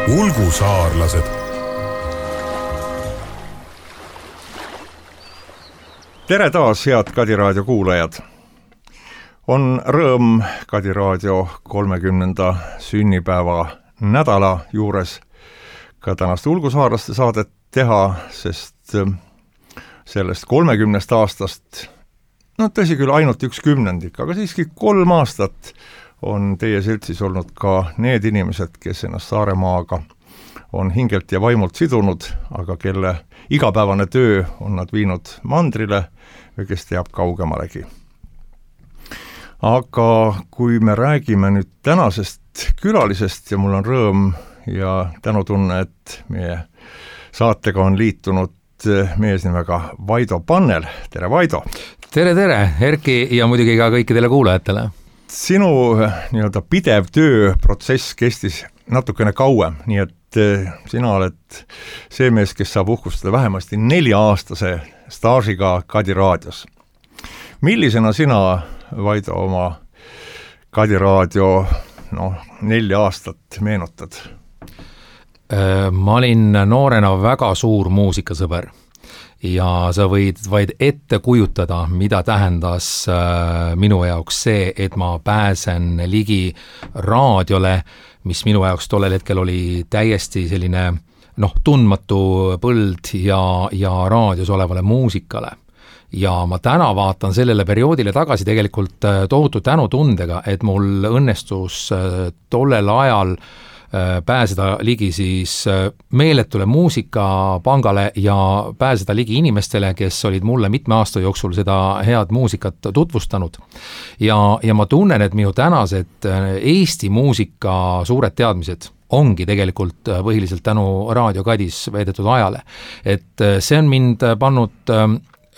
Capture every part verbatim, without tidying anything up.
Ulgusaarlased. Tere taas, head Kadi Raadio kuulajad! On rõõm Kadi Raadio kolmekümnenda sünnipäeva nädala juures ka tänast Ulgusaarlaste saadet teha, sest sellest kolmekümnest aastast, no tõsi küll ainult üks kümnendik, aga siiski kolm aastat on teie seltsis olnud ka need inimesed, kes ennast Saaremaaga on hingelt ja vaimult sidunud, aga kelle igapäevane töö on nad viinud mandrile või kes teab kaugemalegi. Aga kui me räägime nüüd tänasest külalisest ja mul on rõõm ja tänutunne, et meie saatega on liitunud mees nimega Vaido Pannel. Tere, Vaido! Tere, tere, Erki ja muidugi ka kõikidele kuulajatele. Sinu nii-öelda pidev tööprotsess kestis natukene kauem, nii et sina oled see mees, kes saab uhkustada vähemasti nelja-aastase staažiga Kadi Raadios. Millisena sina, Vaido, oma Kadi Raadio no, nelja aastat meenutad? Ma olin noorena väga suur muusikasõber. Ja sa võid vaid ette kujutada, mida tähendas minu jaoks see, et ma pääsen ligi raadiole, mis minu jaoks tollel hetkel oli täiesti selline noh, tundmatu põld ja, ja raadios olevale muusikale. Ja ma täna vaatan sellele perioodile tagasi tegelikult tohutu tänutundega, et mul õnnestus tollel ajal pääseda ligi siis meeletule muusikapangale ja pääseda ligi inimestele, kes olid mulle mitme aasta jooksul seda head muusikat tutvustanud. Ja, ja ma tunnen, et minu tänased Eesti muusika suured teadmised ongi tegelikult põhiliselt tänu Raadio Kadis veedetud ajale. Et see on mind pannud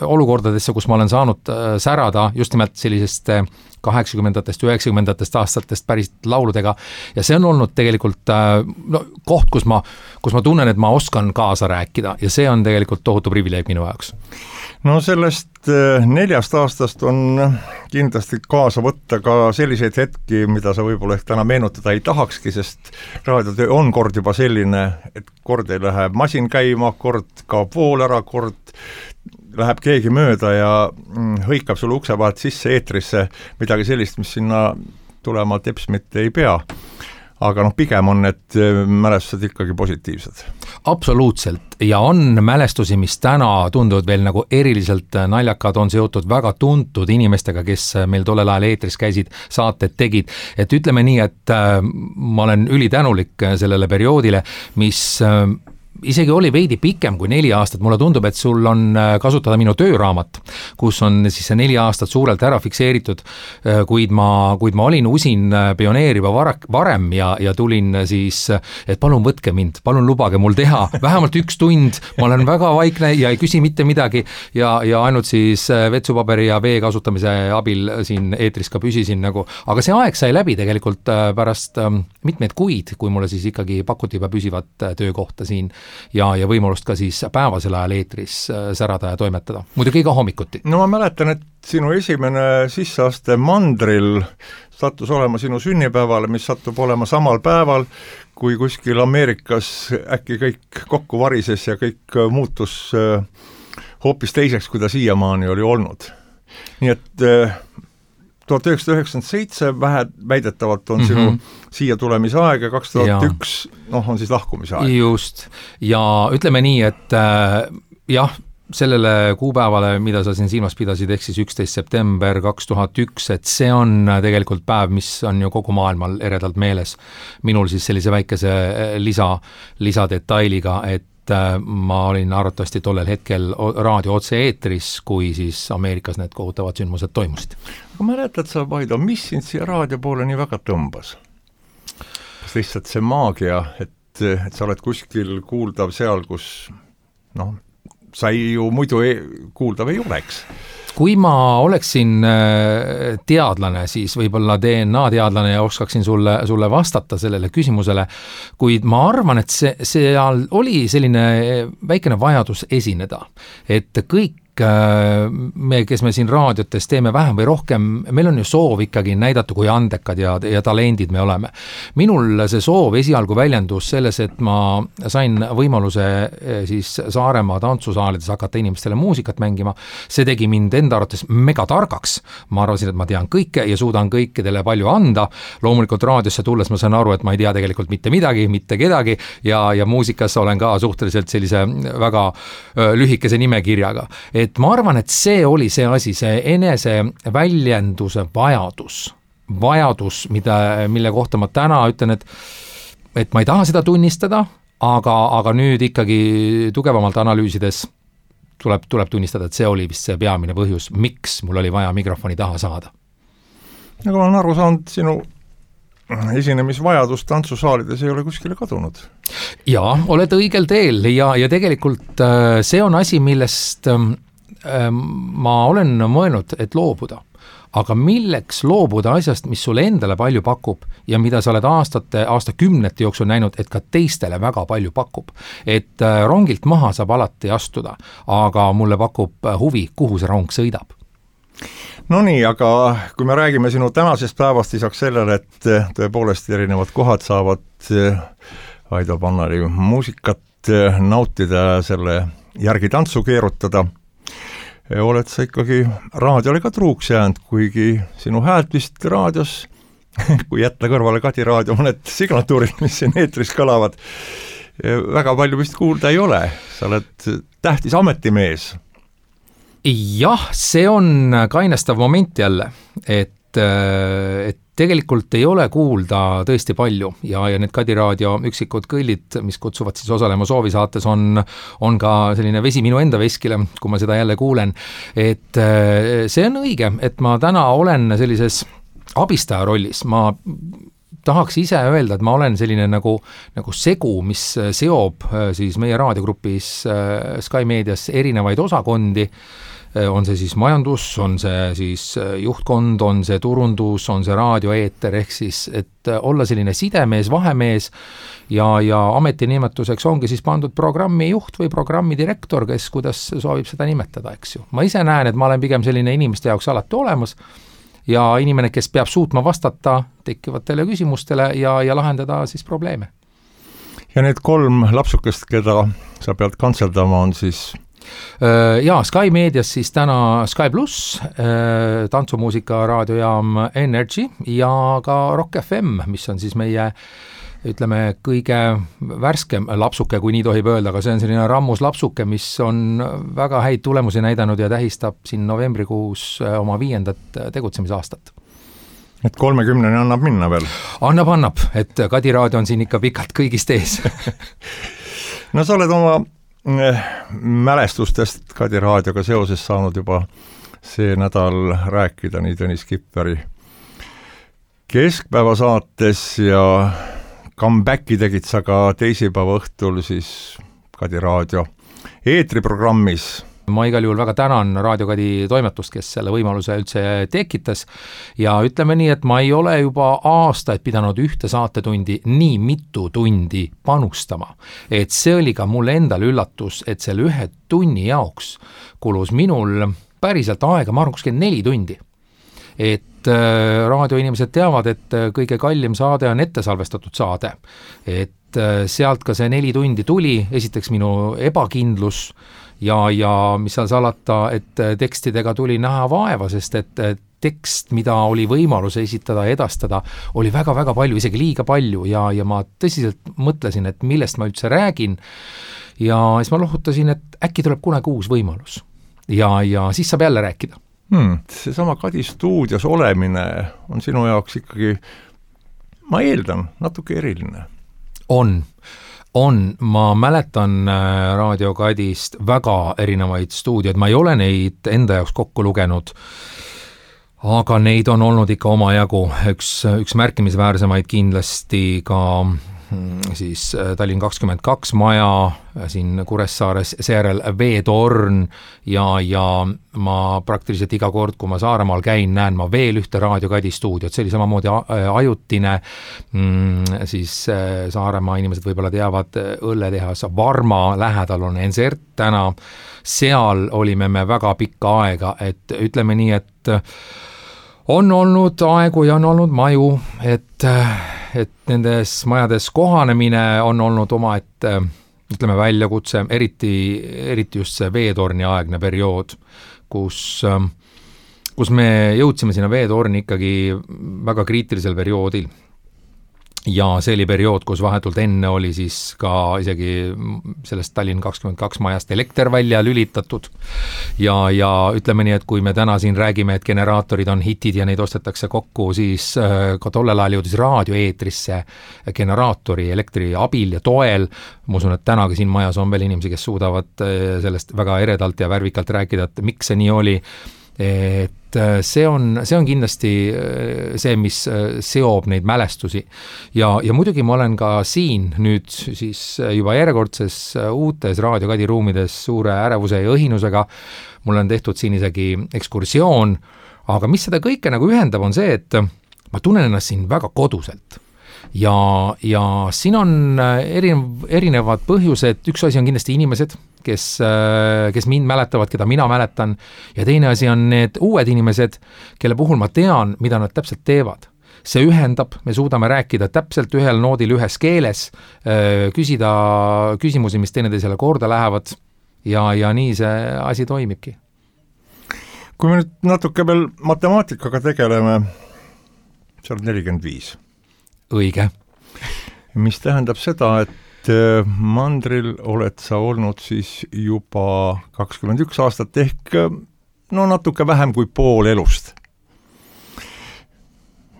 olukordadesse, kus ma olen saanud särada just nimelt sellisest kaheksakümnendatest, üheksakümnendatest aastatest päris lauludega ja see on olnud tegelikult no, koht, kus ma, kus ma tunnen, et ma oskan kaasa rääkida ja see on tegelikult tohutu privileeg minu jaoks. No sellest neljast aastast on kindlasti kaasa võtta ka selliseid hetki, mida sa võib-olla ehk täna meenutada ei tahakski, sest raadiotöö on kord juba selline, et kord ei lähe masin käima, kord kaob vool ära, kord läheb keegi mööda ja hõikab sulle ukse vahelt sisse eetrisse midagi sellist, mis sinna tulema teps mitte ei pea. Aga noh, pigem on need mälestused ikkagi positiivsed. Absoluutselt. Ja on mälestusi, mis täna tunduvad veel nagu eriliselt naljakad, on seotud väga tuntud inimestega, kes meil tollel ajal eetris käisid, saated tegid. Et ütleme nii, et ma olen ülitänulik sellele perioodile, mis isegi oli veidi pikem kui neli aastat. Mulle tundub, et sul on kasutada minu tööraamat, kus on siis see neli aastat suurelt ära fikseeritud, kuid ma, kuid ma olin usin pioneer juba varem ja, ja tulin siis, et palun võtke mind, palun lubage mul teha vähemalt üks tund, ma olen väga vaikne ja ei küsi mitte midagi ja, ja ainult siis vetsupaberi ja vee kasutamise abil siin eetris ka püsisin nagu, aga see aeg sai läbi tegelikult pärast mitmeid kuid, kui mulle siis ikkagi pakuti juba püsivat töökohta siin ja, ja võimalust ka siis päevasel ajal eetris särada ja toimetada. Muidugi ka hommikuti. No ma mäletan, et sinu esimene sisseaste mandril sattus olema sinu sünnipäevale, mis sattub olema samal päeval, kui kuskil Ameerikas äkki kõik kokku varises ja kõik muutus hoopis teiseks, kui ta siiamaani oli olnud. Nii et tuhat üheksasada üheksakümmend seitse vähe väidetavalt on sinu mm-hmm. siia tulemise aeg ja kaks tuhat üks noh, on siis lahkumise aeg. Just. Ja ütleme nii, et äh, jah, sellele kuupäevale, mida sa siin silmas pidasid, ehk siis üksteist september kaks tuhat üks, et see on tegelikult päev, mis on ju kogu maailmal eredalt meeles. Minul siis sellise väikese lisa, lisadetailiga, et ma olin arvatavasti tollel hetkel raadio otse eetris, kui siis Ameerikas need kohutavad sündmused toimusid. Aga mäletad sa, Vaido, mis sind siia raadio poole nii väga tõmbas? Kas lihtsalt see maagia, et, et sa oled kuskil kuuldav seal, kus noh, sa ei ju muidu ei, kuuldav ei oleks? Kui ma oleksin teadlane, siis võib-olla D N A teadlane ja oskaksin sulle, sulle vastata sellele küsimusele, kuid ma arvan, et see, seal oli selline väikene vajadus esineda, et kõik kõik me, kes me siin raadiotes teeme vähem või rohkem, meil on ju soov ikkagi näidata, kui andekad ja, ja talendid me oleme. Minul see soov esialgu väljendus selles, et ma sain võimaluse siis Saaremaa tantsusaalides hakata inimestele muusikat mängima. See tegi mind enda arvates mega targaks. Ma arvasin, et ma tean kõike ja suudan kõikidele palju anda. Loomulikult raadiosse tulles ma saan aru, et ma ei tea tegelikult mitte midagi, mitte kedagi ja, ja muusikas olen ka suhteliselt sellise väga lühikese nimekirjaga. Et ma arvan, et see oli see asi, see enese väljenduse vajadus, vajadus, mida, mille kohta ma täna ütlen, et, et ma ei taha seda tunnistada, aga, aga nüüd ikkagi tugevamalt analüüsides tuleb, tuleb tunnistada, et see oli vist see peamine põhjus, miks mul oli vaja mikrofoni taha saada. Nagu ma olen aru saanud, sinu esinemisvajadus tantsusaalides ei ole kuskile kadunud. Jaa, oled õigel teel ja, ja tegelikult see on asi, millest ma olen mõelnud, et loobuda. Aga milleks loobuda asjast, mis sulle endale palju pakub ja mida sa oled aastate, aastakümnete jooksul näinud, et ka teistele väga palju pakub. Et rongilt maha saab alati astuda, aga mulle pakub huvi, kuhu see rong sõidab. No nii, aga kui me räägime sinu tänasest päevast lisaks sellele, et tõepoolest erinevad kohad saavad Aido Pannari muusikat nautida ja selle järgi tantsu keerutada, oled sa ikkagi raadiole ka truuks jäänud, kuigi sinu häält vist raadios, kui jätta kõrvale Kadi raadio mõned signatuurid, mis siin eetris kõlavad, väga palju vist kuulda ei ole. Sa oled tähtis ametimees. Jah, see on kainestav moment jälle, et, et tegelikult ei ole kuulda tõesti palju ja, ja need Kadi raadio üksikud kõllid, mis kutsuvad siis osalema soovisaates, on, on ka selline vesi minu enda veskile, kui ma seda jälle kuulen. Et see on õige, et ma täna olen sellises abistaja rollis, ma tahaks ise öelda, et ma olen selline nagu, nagu segu, mis seob siis meie raadiogrupis Sky Medias erinevaid osakondi, on see siis majandus, on see siis juhtkond, on see turundus, on see raadioeeter, ehk siis, et olla selline sidemees, vahemees ja, ja ametinimetuseks ongi siis pandud programmi juht või programmi direktor, kes kuidas soovib seda nimetada, eks ju. Ma ise näen, et ma olen pigem selline inimeste jaoks alati olemas ja inimene, kes peab suutma vastata tekkivatele küsimustele ja, ja lahendada siis probleeme. Ja need kolm lapsukest, keda sa pead kantseldama, on siis Jaa, Sky Medias siis täna Sky Plus, tantsumuusika raadiojaam Energy ja ka Rock F M, mis on siis meie, ütleme, kõige värskem lapsuke, kui nii tohib öelda, aga see on selline rammus lapsuke, mis on väga häid tulemusi näidanud ja tähistab siin novembrikuus oma viiendat tegutsemisaastat. Et kolmekümneni annab minna veel? Annab, annab, et Kadi raadio on siin ikka pikalt kõigist ees. No sa oled oma mälestustest Kadi raadioga seoses saanud juba see nädal rääkida nii Tõnis Kipperi keskpäeva saates ja comebacki tegid sa ka teisipäeva õhtul siis Kadi raadio eetriprogrammis. Ma igal juhul väga tänan Raadio Kadi toimetust, kes selle võimaluse üldse tekitas ja ütleme nii, et ma ei ole juba aastaid pidanud ühte saatetundi nii mitu tundi panustama. Et see oli ka mulle endale üllatus, et selle ühe tunni jaoks kulus minul päriselt aega, ma arvan, kuskil neli tundi. Et äh, raadioinimesed teavad, et kõige kallim saade on ettesalvestatud saade. Et äh, sealt ka see neli tundi tuli, esiteks minu ebakindlus ja, ja mis seal salata, et tekstidega tuli näha vaeva, sest et tekst, mida oli võimalus esitada ja edastada, oli väga-väga palju, isegi liiga palju ja, ja ma tõsiselt mõtlesin, et millest ma üldse räägin ja siis ma lohutasin, et äkki tuleb kunagi uus võimalus ja, ja siis saab jälle rääkida. Hmm, seesama Kadi stuudios olemine on sinu jaoks ikkagi, ma eeldan, natuke eriline. On. On, ma mäletan Raadio Kadist väga erinevaid stuudioid, ma ei ole neid enda jaoks kokku lugenud, aga neid on olnud ikka omajagu, üks, üks märkimisväärsemaid kindlasti ka siis Tallinn kakskümmend kaks maja siin Kuressaares, seejärel Veetorn ja, ja ma praktiliselt iga kord, kui ma Saaremaal käin, näen ma veel ühte Raadio Kadi stuudiot, see oli samamoodi ajutine, siis Saaremaa inimesed võib-olla teavad õlletehas Varma lähedal on Ensert täna, seal olime me väga pikka aega, et ütleme nii, et on olnud aegu ja on olnud maju, et et nendes majades kohanemine on olnud oma, et ütleme väljakutse, eriti, eriti just see Veetorni aegne periood, kus, kus me jõudsime sinna Veetorni ikkagi väga kriitilisel perioodil. Ja see oli periood, kus vahetult enne oli siis ka isegi sellest Tallinn kakskümmend kaks majast elekter välja lülitatud ja, ja ütleme nii, et kui me täna siin räägime, et generaatorid on hitid ja neid ostetakse kokku, siis ka tollel ajal jõudis raadioeetrisse generaatori elektri abil ja toel. Ma usun, et tänagi siin majas on veel inimesi, kes suudavad sellest väga eredalt ja värvikalt rääkida, et miks see nii oli. Et see on, see on kindlasti see, mis seob neid mälestusi ja, ja muidugi ma olen ka siin nüüd siis juba järjekordses uutes Raadio Kadi ruumides suure ärevuse ja õhinusega, mul on tehtud siin isegi ekskursioon, aga mis seda kõike nagu ühendab on see, et ma tunnen ennast siin väga koduselt ja, ja siin on erinev, erinevad põhjused, üks asi on kindlasti inimesed, kes, kes mind mäletavad, keda mina mäletan ja teine asi on need uued inimesed, kelle puhul ma tean, mida nad täpselt teevad. See ühendab, me suudame rääkida täpselt ühel noodil ühes keeles, küsida küsimusi, mis teineteisele korda lähevad ja, ja nii see asi toimibki. Kui me nüüd natuke veel matemaatikaga tegeleme, see on nelikümmend viis. Õige. Mis tähendab seda, et mandril oled sa olnud siis juba kakskümmend üks aastat ehk no natuke vähem kui pool elust.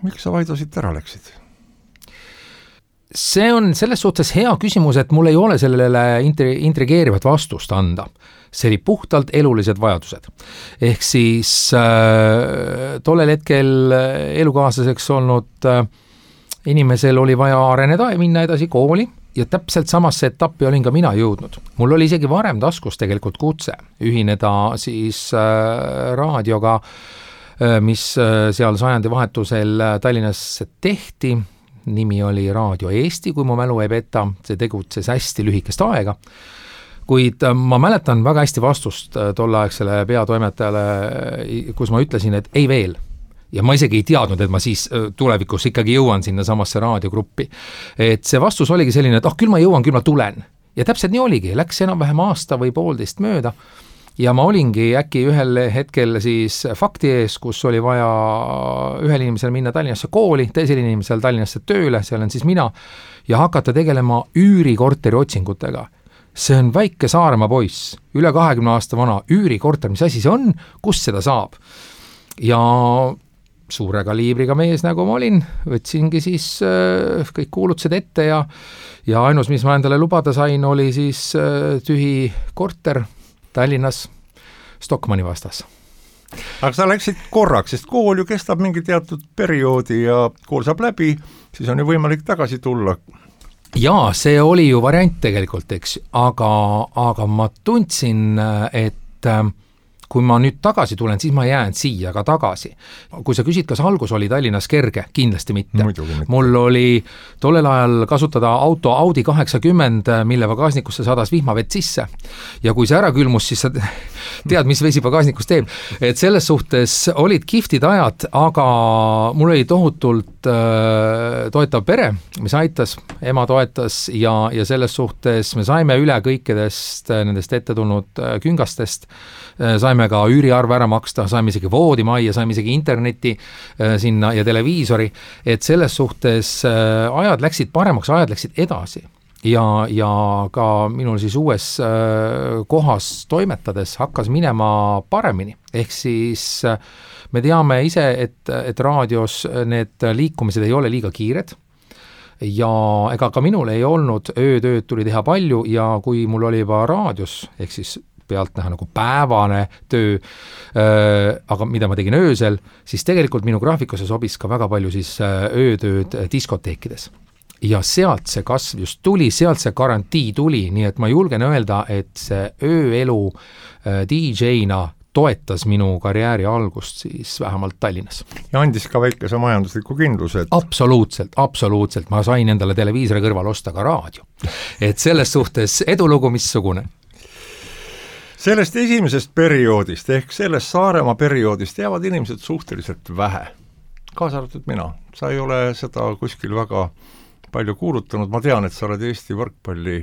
Miks sa Vaido siit ära läksid? See on selles suhtes hea küsimus, et mul ei ole sellele intrigeerivat vastust anda. See oli puhtalt elulised vajadused. Ehk siis äh, tollel hetkel elukaaslaseks olnud äh, inimesel oli vaja areneda ja minna edasi kooli ja täpselt samasse etappi olin ka mina jõudnud. Mul oli isegi varem taskus tegelikult kutse ühineda siis äh, raadioga, äh, mis äh, seal sajandi vahetusel Tallinnas tehti. Nimi oli Raadio Eesti, kui mu mälu ei peta, see tegutses hästi lühikest aega. Kuid ma mäletan väga hästi vastust tolleaegsele peatoimetajale, kus ma ütlesin, et ei veel. Ja ma isegi ei teadnud, et ma siis tulevikus ikkagi jõuan sinna samasse raadiogruppi. Et see vastus oligi selline, et oh, küll ma jõuan, küll ma tulen. Ja täpselt nii oligi, läks enam vähem aasta või poolteist mööda. Ja ma olingi äkki ühel hetkel siis fakti ees, kus oli vaja ühel inimesel minna Tallinnasse kooli, teisel inimesel Tallinnasse tööle, seal on siis mina, ja hakata tegelema üürikorteri otsingutega. See on väike Saaremaa poiss, üle kahekümne aasta vana üürikorter, mis asi see on, kus seda saab? Ja suure kaliibriga mees, nagu ma olin, võtsingi siis äh, kõik kuulutused ette ja, ja ainus, mis ma endale lubada sain, oli siis äh, tühi korter Tallinnas Stockmanni vastas. Aga sa läksid korraks, sest kool ju kestab mingi teatud perioodi ja kool saab läbi, siis on ju võimalik tagasi tulla. Jaa, see oli ju variant tegelikult, eks, aga, aga ma tundsin, et kui ma nüüd tagasi tulen, siis ma jään siia ka tagasi. Kui sa küsid, kas algus oli Tallinnas kerge, kindlasti mitte. mitte. Mul oli tollel ajal kasutada auto Audi kaheksakümmend, mille pagaasnikusse sadas vihmavett sisse. Ja kui see ära külmus, siis sa tead, mis vesi pagaasnikus teeb. Et selles suhtes olid kihvtid ajad, aga mul oli tohutult äh, toetav pere, mis aitas, ema toetas ja, ja selles suhtes me saime üle kõikidest nendest ette tulnud äh, küngastest, äh, saime ka üüriarve ära maksta, saime isegi voodimajja, saime isegi interneti äh, sinna ja televiisori, et selles suhtes äh, ajad läksid paremaks, ajad läksid edasi. Ja, ja ka minul siis uues äh, kohas toimetades hakkas minema paremini. Ehk siis äh, me teame ise, et, et raadios need liikumised ei ole liiga kiired. Ja ega ka minul ei olnud, öötööd tuli teha palju ja kui mul oli juba raadios, ehk siis pealt näha nagu päevane töö, äh, aga mida ma tegin öösel, siis tegelikult minu graafikusse sobis ka väga palju siis öötööd diskoteekides. ja sealt see kasv just tuli, sealt see garantii tuli, nii et ma julgen öelda, et see ööelu D J-na toetas minu karjääri algust siis vähemalt Tallinnas. Ja andis ka väikese majandusliku kindluse. Et... Absoluutselt, absoluutselt. Ma sain endale televiisori kõrval osta ka raadio. Et selles suhtes edulugu missugune. Sellest esimesest perioodist ehk sellest Saaremaa perioodist jäävad inimesed suhteliselt vähe. Kaasa arvatud mina. Sa ei ole seda kuskil väga palju kuulutanud. Ma tean, et sa oled Eesti võrkpalli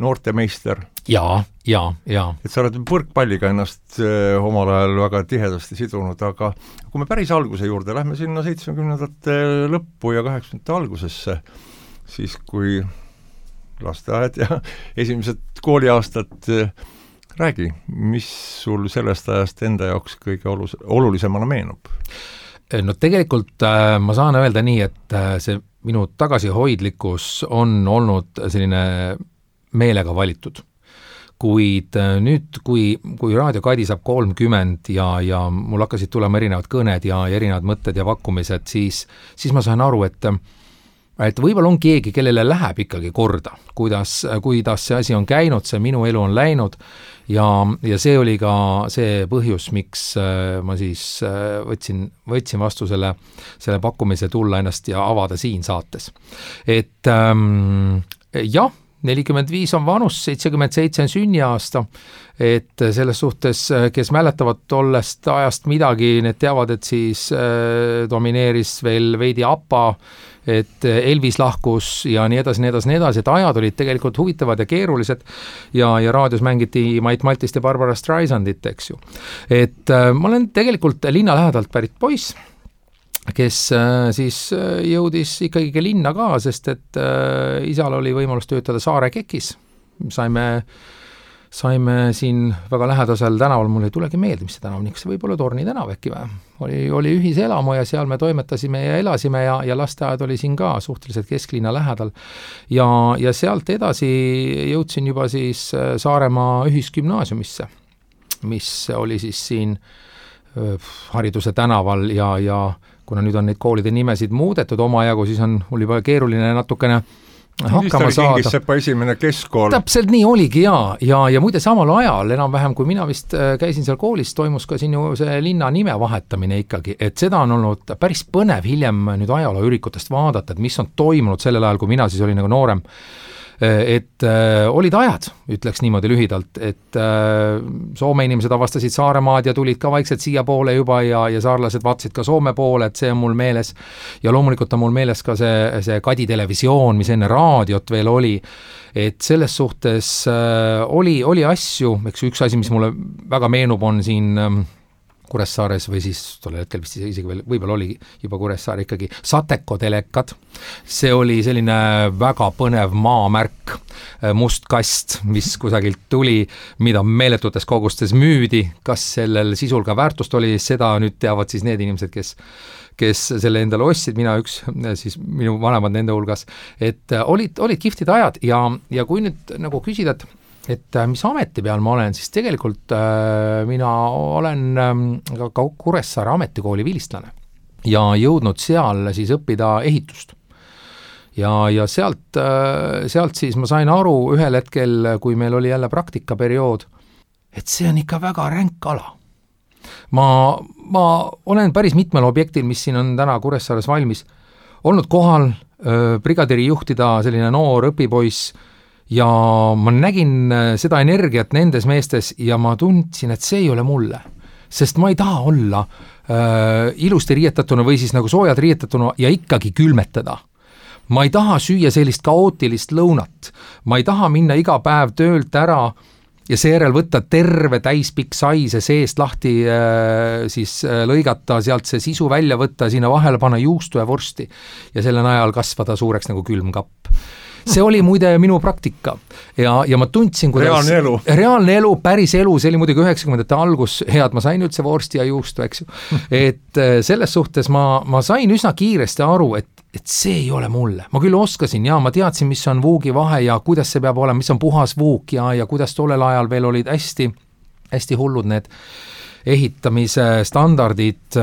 noortemeister. Jaa, jaa, jaa. Et sa oled võrkpalliga ennast eh, omal ajal väga tihedasti sidunud, aga kui me päris alguse juurde lähme sinna seitsmekümnendate lõppu ja kaheksakümnendate algusesse, siis kui lasteaed ja esimesed kooliaastad eh, räägi, mis sul sellest ajast enda jaoks kõige olus- olulisemana meenub? No tegelikult äh, ma saan öelda nii, et äh, see minu tagasihoidlikkus on olnud selline meelega valitud. Kuid äh, nüüd, kui, kui Raadio Kadi saab kolmkümmend ja, ja mul hakkasid tulema erinevad kõned ja, ja erinevad mõtted ja pakkumised, siis, siis ma sain aru, et et võib-olla on keegi, kellele läheb ikkagi korda, kuidas, kuidas see asi on käinud, see minu elu on läinud ja, ja see oli ka see põhjus, miks ma siis võtsin, võtsin vastu selle, selle pakkumise tulla ennast ja avada siin saates. Et ähm, jah, nelikümmend viis on vanus, seitsekümmend seitse on sünniaasta, et selles suhtes, kes mäletavad tollest ajast midagi, need teavad, et siis äh, domineeris veel veidi APA, et Elvis lahkus ja nii edasi, nii edasi, nii edasi, et ajad olid tegelikult huvitavad ja keerulised ja, ja raadios mängiti Mait Maltist ja Barbara Streisandit, eks ju. Et äh, ma olen tegelikult linna lähedalt pärit poiss, kes äh, siis jõudis ikkagi linna ka, sest et äh, isal oli võimalus töötada Saare Kekis. Saime, saime siin väga lähedasel tänaval, mul ei tulegi meelde, mis see tänav, niks see võib olla Torni tänav äkki või? Oli, oli ühiselamu ja seal me toimetasime ja elasime ja, ja lasteaed oli siin ka suhteliselt kesklinna lähedal. Ja, ja sealt edasi jõudsin juba siis Saaremaa ühisgümnaasiumisse, mis oli siis siin Hariduse tänaval ja, ja kuna nüüd on neid koolide nimesid muudetud omajagu, siis on mul juba keeruline natukene hakkama saada. Kingissepa esimene keskkool. Täpselt nii oligi ja, ja, ja muide samal ajal enam-vähem, kui mina vist käisin seal koolis, toimus ka siin ju see linna nime vahetamine ikkagi, et seda on olnud päris põnev hiljem nüüd ajalooürikutest vaadata, et mis on toimunud sellel ajal, kui mina siis olin nagu noorem. Et äh, olid ajad, ütleks niimoodi lühidalt, et äh, Soome inimesed avastasid Saaremaad ja tulid ka vaikselt siia poole juba ja, ja saarlased vaatasid ka Soome poole, et see on mul meeles. Ja loomulikult on mul meeles ka see, see Kadi televisioon, mis enne raadiot veel oli, et selles suhtes äh, oli, oli asju, eks üks asi, mis mulle väga meenub, on siin äh, Kuressaares või siis tollel hetkel vist isegi veel, võib-olla oli juba Kuressaare ikkagi Sateko telekad. See oli selline väga põnev maamärk, must kast, mis kusagilt tuli, mida meeletutes kogustes müüdi. Kas sellel sisul ka väärtust oli, seda nüüd teavad siis need inimesed, kes kes selle endale ostsid, mina üks, siis minu vanemad nende hulgas, et olid, olid kiftid ajad ja, ja kui nüüd nagu küsida, et et mis ameti peal ma olen, siis tegelikult äh, mina olen äh, ka Kuressaare ametikooli vilistlane ja jõudnud seal siis õppida ehitust. Ja, ja sealt, äh, sealt siis ma sain aru ühel hetkel, kui meil oli jälle praktikaperiood, et see on ikka väga ränk ala. Ma, ma olen päris mitmel objektil, mis siin on täna Kuressaares valmis, olnud kohal äh, brigadiri juhtida selline noor õpipoiss, ja ma nägin seda energiat nendes meestes ja ma tundsin, et see ei ole mulle, sest ma ei taha olla äh, ilusti riietatuna või siis nagu soojad riietatuna ja ikkagi külmetada. Ma ei taha süüa sellist kaootilist lõunat, ma ei taha minna iga päev töölt ära ja seejärel võtta terve täispikk saise seest lahti, äh, siis äh, lõigata, sealt see sisu välja võtta, sinna vahele panna juustu ja vorsti ja selle najal kasvada suureks nagu külmkapp. See oli muide minu praktika ja, ja ma tundsin, kuidas reaalne elu. reaalne elu, päris elu, see oli muidugi üheksakümnendate algus, head, ma sain üldse vorsti ja juustu, eks ju. Et selles suhtes ma, ma sain üsna kiiresti aru, et, et see ei ole mulle. Ma küll oskasin ja ma teadsin, mis on vuugi vahe ja kuidas see peab olema, mis on puhas vuuk ja, ja kuidas tollel ajal veel olid hästi, hästi hullud need ehitamise standardid,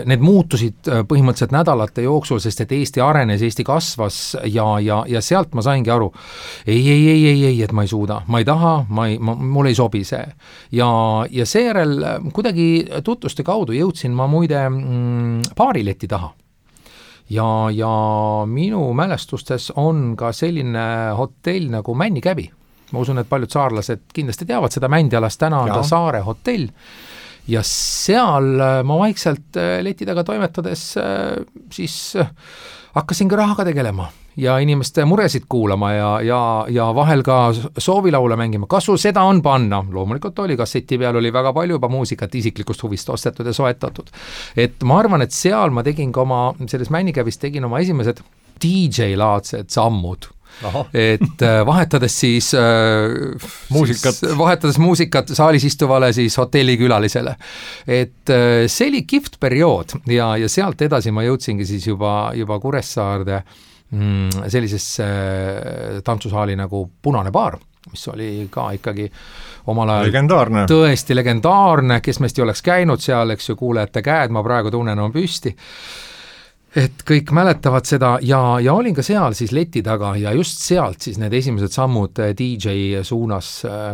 need muutusid põhimõtteliselt nädalate jooksul, sest et Eesti arenes, Eesti kasvas ja, ja, ja sealt ma saingi aru, ei, ei, ei, ei, ei, et ma ei suuda, ma ei taha, ma ei, ma, mul ei sobi see. Ja, ja seejärel kuidagi tutvuste kaudu jõudsin ma muide mm, baarileti taha. Ja, ja minu mälestustes on ka selline hotell nagu Männikäbi. Ma usun, et paljud saarlased kindlasti teavad seda Mändialast, täna on ta Saare hotell. Ja seal ma vaikselt leti taga toimetades siis hakkasin ka rahaga tegelema ja inimeste muresid kuulama ja, ja, ja vahel ka soovilaule mängima. Kas sul seda on panna? Loomulikult oli, kasseti peal oli väga palju juba muusikat isiklikust huvist ostetud ja soetatud. Et ma arvan, et seal ma tegin ka oma, selles Männikävis tegin oma esimesed D J-laadsed sammud. Aha. Et vahetades siis, muusikat. siis vahetades muusikat saalis istuvale siis hotellikülalisele. Et see oli kihvt periood ja, ja sealt edasi ma jõudsingi siis juba, juba Kuressaarde mm, sellisesse tantsusaali nagu Punane baar, mis oli ka ikkagi omal ajal legendaarne. Tõesti legendaarne, kes meist ei oleks käinud seal, eks ju, kuulejate käed, ma praegu tunnen on püsti. Et kõik mäletavad seda ja, ja olin ka seal siis leti taga ja just sealt siis need esimesed sammud D J suunas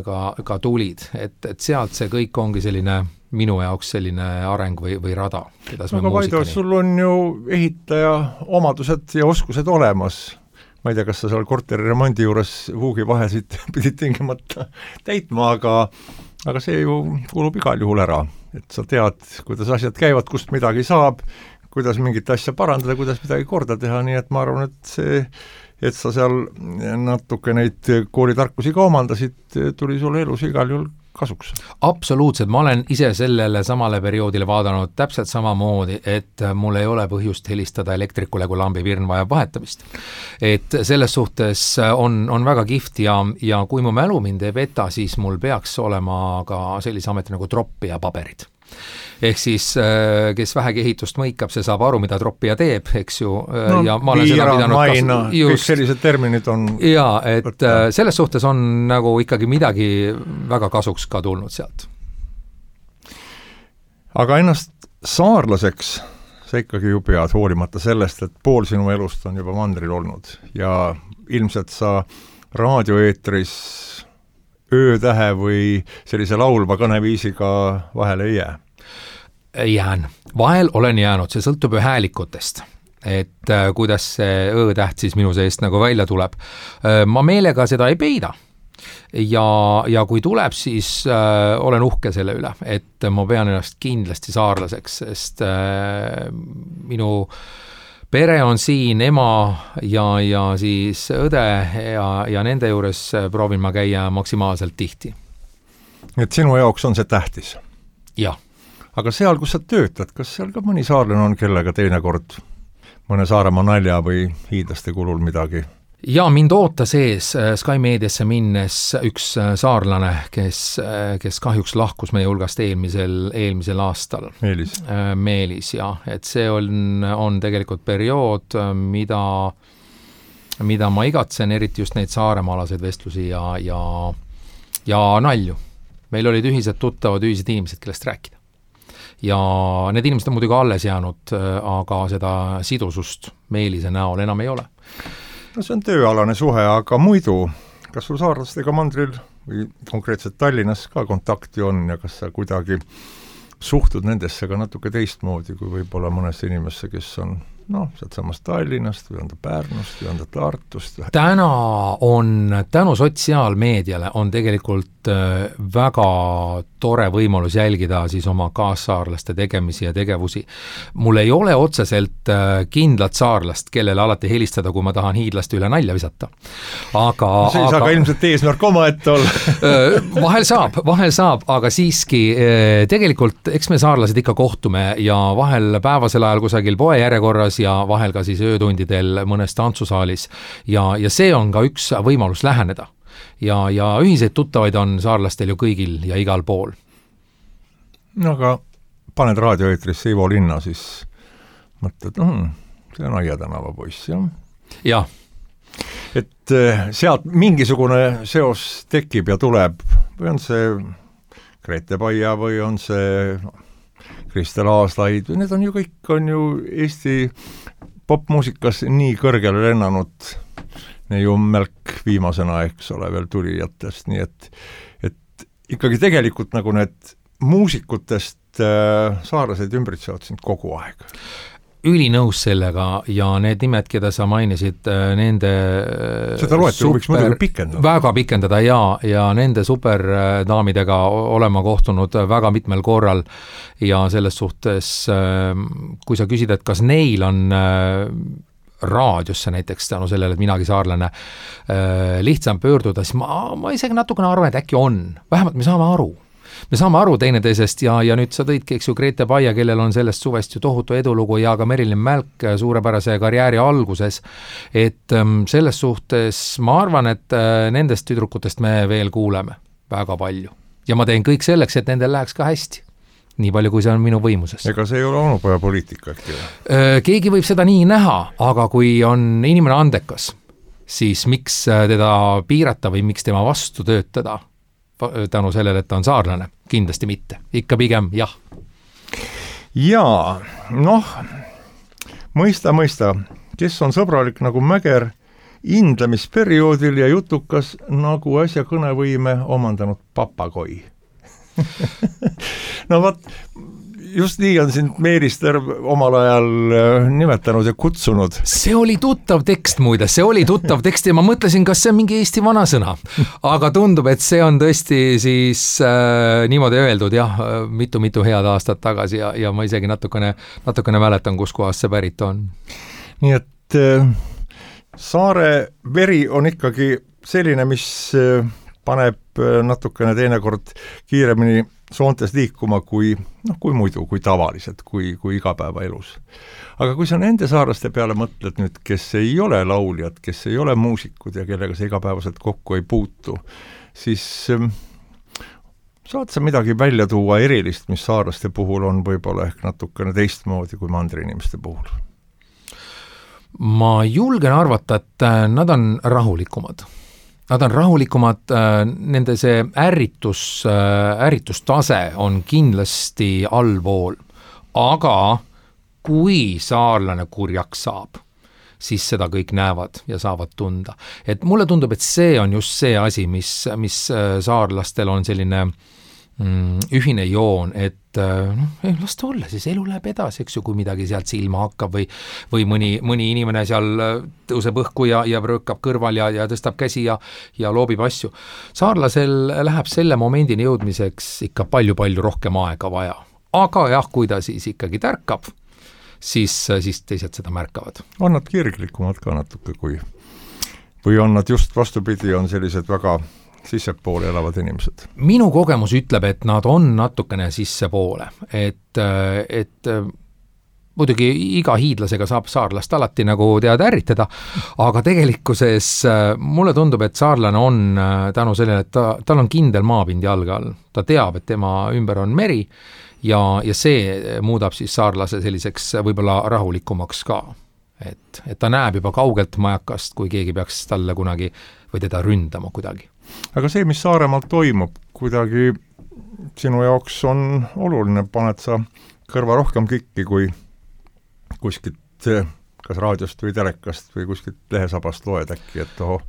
ka, ka tulid, et, et sealt see kõik ongi selline minu jaoks selline areng või, või rada. Aga Vaido, sul on ju ehitaja omadused ja oskused olemas. Ma ei tea, kas sa seal korteri remondi juures huugi vahesid pidid tingimata täitma, aga, aga see ju kulub igal juhul ära. Et sa tead, kuidas asjad käivad, kust midagi saab, kuidas mingit asja parandada, kuidas midagi korda teha, nii et ma arvan, et see, et sa seal natuke neid koolitarkusi ka omandasid, tuli sulle elus igal juhul kasuks. Absoluutselt, ma olen ise sellele samale perioodile vaadanud täpselt samamoodi, et mul ei ole põhjust helistada elektrikule, kui lambi virn vajab vahetamist. Et selles suhtes on, on väga kihvt ja, ja kui mu mälu mind ei peta, siis mul peaks olema ka sellise ameti nagu troppija paberid. Ehk siis, kes vähegi ehitust mõikab, see saab aru, mida troppija teeb, eks ju, no, ja ma olen seda pidanud maina, kas... kõik sellised terminid on jaa, et võtta. Selles suhtes on nagu ikkagi midagi väga kasuks ka tulnud sealt. Aga ennast saarlaseks sa ikkagi ju pead, hoolimata sellest, et pool sinu elust on juba mandril olnud ja ilmselt sa raadioeetris öötähe või sellise laulva kõneviisiga vahele ei jää? Jään. Vahel olen jäänud, see sõltub ju häälikutest, et äh, kuidas see öötäht siis minu seest nagu välja tuleb. Äh, ma meelega seda ei peida ja, ja kui tuleb, siis äh, olen uhke selle üle, et ma pean ennast kindlasti saarlaseks, sest äh, minu pere on siin, ema ja, ja siis õde ja, ja nende juures proovin ma käia maksimaalselt tihti. Et sinu jaoks on see tähtis? Jah. Aga seal, kus sa töötad, kas seal ka mõni saarlane on, kellega teinekord mõne Saaremaa nalja või hiidlaste kulul midagi? Ja mind ootas ees Sky Mediasse minnes üks saarlane, kes, kes kahjuks lahkus meie hulgast eelmisel, eelmisel aastal. Meelis. Meelis, jah. Et see on, on tegelikult periood, mida, mida ma igatsen, eriti just neid saaremaalaseid vestlusi ja, ja, ja nalju. Meil olid ühised tuttavad, ühised inimesed, kellest rääkida. Ja need inimesed on muidugi alles jäänud, aga seda sidusust Meelise näol enam ei ole. No see on tööalane suhe, aga muidu, kas sul saarlastega mandril või konkreetselt Tallinnas ka kontakti on ja kas sa kuidagi suhtud nendesse ka natuke teistmoodi, kui võib-olla mõnesse inimesse, kes on noh, sealt samast Tallinnast või on ta Pärnust või on ta Tartust? Täna on, tänu sotsiaalmeediale on tegelikult väga tore võimalus jälgida siis oma kaassaarlaste tegemisi ja tegevusi. Mul ei ole otseselt kindlat saarlast, kellele alati helistada, kui ma tahan hiidlaste üle nalja visata. Aga, see ei aga, saa ka ilmselt eesmärk oma ette olla. vahel saab, vahel saab, aga siiski tegelikult eks me saarlased ikka kohtume ja vahel päevasel ajal kusagil poe järjekorras ja vahel ka siis öötundidel mõnes tantsusaalis ja, ja see on ka üks võimalus läheneda. Ja, ja ühiseid tuttavaid on saarlastel ju kõigil ja igal pool. No aga paned raadioeetrisse Ivo Linna, siis mõtled, mm, see on Aia tänava poiss, jah? Jah. Et sealt mingisugune seos tekib ja tuleb või on see Grete Paia või on see Kristel Aaslaid, need on ju kõik, on ju Eesti popmuusikas nii kõrgele lennanud, ju Mälk viimasena, eks ole, veel tulijatest, nii et, et ikkagi tegelikult nagu need muusikutest äh, saarlased ümbritsevad sind kogu aeg. Ülinõus sellega ja need nimed, keda sa mainisid, nende seda loetelu võiks muidugi pikendada. Väga pikendada ja, ja nende superdaamidega olema kohtunud väga mitmel korral ja selles suhtes, kui sa küsid, et kas neil on raadiosse näiteks tänu sellele, et minagi saarlane lihtsam pöörduda, siis ma, ma isegi natukene arvan, et äkki on. Vähemalt me saame aru. Me saame aru teineteisest ja, ja nüüd sa tõidki, eks ju, Grete Paia, kellel on sellest suvest ju tohutu edulugu ja ka Merilin Mälk suurepärase karjääri alguses, et selles suhtes ma arvan, et nendest tüdrukutest me veel kuuleme väga palju. Ja ma teen kõik selleks, et nendel läheks ka hästi. Nii palju, kui see on minu võimuses. Ega see ei ole onupoja poliitika äkki? Keegi võib seda nii näha, aga kui on inimene andekas, siis miks teda piirata või miks tema vastu töötada? Tänu sellele, et ta on saarlane. Kindlasti mitte. Ikka pigem jah. Jaa, noh, mõista, mõista, kes on sõbralik nagu Mäger indlemisperioodil ja jutukas nagu äsja kõnevõime omandanud papagoi. No vaat, just nii on sind Meerister omal ajal nimetanud ja kutsunud. See oli tuttav tekst muide, see oli tuttav tekst ja ma mõtlesin, kas see on mingi Eesti vanasõna. Aga tundub, et see on tõesti siis äh, niimoodi öeldud jah, mitu-mitu head aastat tagasi ja, ja ma isegi natukene, natukene mäletan, kus kohas see pärit on. Nii et äh, saare veri on ikkagi selline, mis äh, paneb natukene teinekord kiiremini soontes liikuma kui, noh, kui muidu, kui tavaliselt, kui, kui igapäevaelus. Aga kui sa nende saarlaste peale mõtled nüüd, kes ei ole lauljad, kes ei ole muusikud ja kellega sa igapäevaselt kokku ei puutu, siis ähm, saad sa midagi välja tuua erilist, mis saarlaste puhul on võib-olla ehk natukene teistmoodi kui mandriinimeste puhul? Ma julgen arvata, et nad on rahulikumad. Nad on rahulikumad, nende see ärritus, ärritustase on kindlasti allpool, aga kui saarlane kurjaks saab, siis seda kõik näevad ja saavad tunda. Et mulle tundub, et see on just see asi, mis, mis saarlastel on selline mm, ühine joon, et noh, las ta olla, siis elu läheb edasi, eks ju, kui midagi sealt silma hakkab või, või mõni, mõni inimene seal tõuseb õhku ja, ja röökab kõrval ja, ja tõstab käsi ja, ja loobib asju. Saarlasel läheb selle momendini jõudmiseks ikka palju-palju rohkem aega vaja. Aga jah, kui ta siis ikkagi tärkab, siis, siis teised seda märkavad. On nad kirglikumad ka natuke kui, või on nad just vastupidi, on sellised väga sissepoole elavad inimesed? Minu kogemus ütleb, et nad on natukene sissepoole, et, et muidugi iga hiidlasega saab saarlast alati nagu tead ärritada, aga tegelikkuses mulle tundub, et saarlane on tänu sellele, et ta, tal on kindel maapind jalge all. Ta teab, et tema ümber on meri ja, ja see muudab siis saarlase selliseks võib-olla rahulikumaks ka. Et, et ta näeb juba kaugelt majakast, kui keegi peaks talle kunagi või teda ründama kuidagi. Aga see, mis Saaremaal toimub, kuidagi sinu jaoks on oluline, paned sa kõrva rohkem kikki kui kuskilt kas raadiost või telekast või kuskilt lehesabast loed äkki, et oho,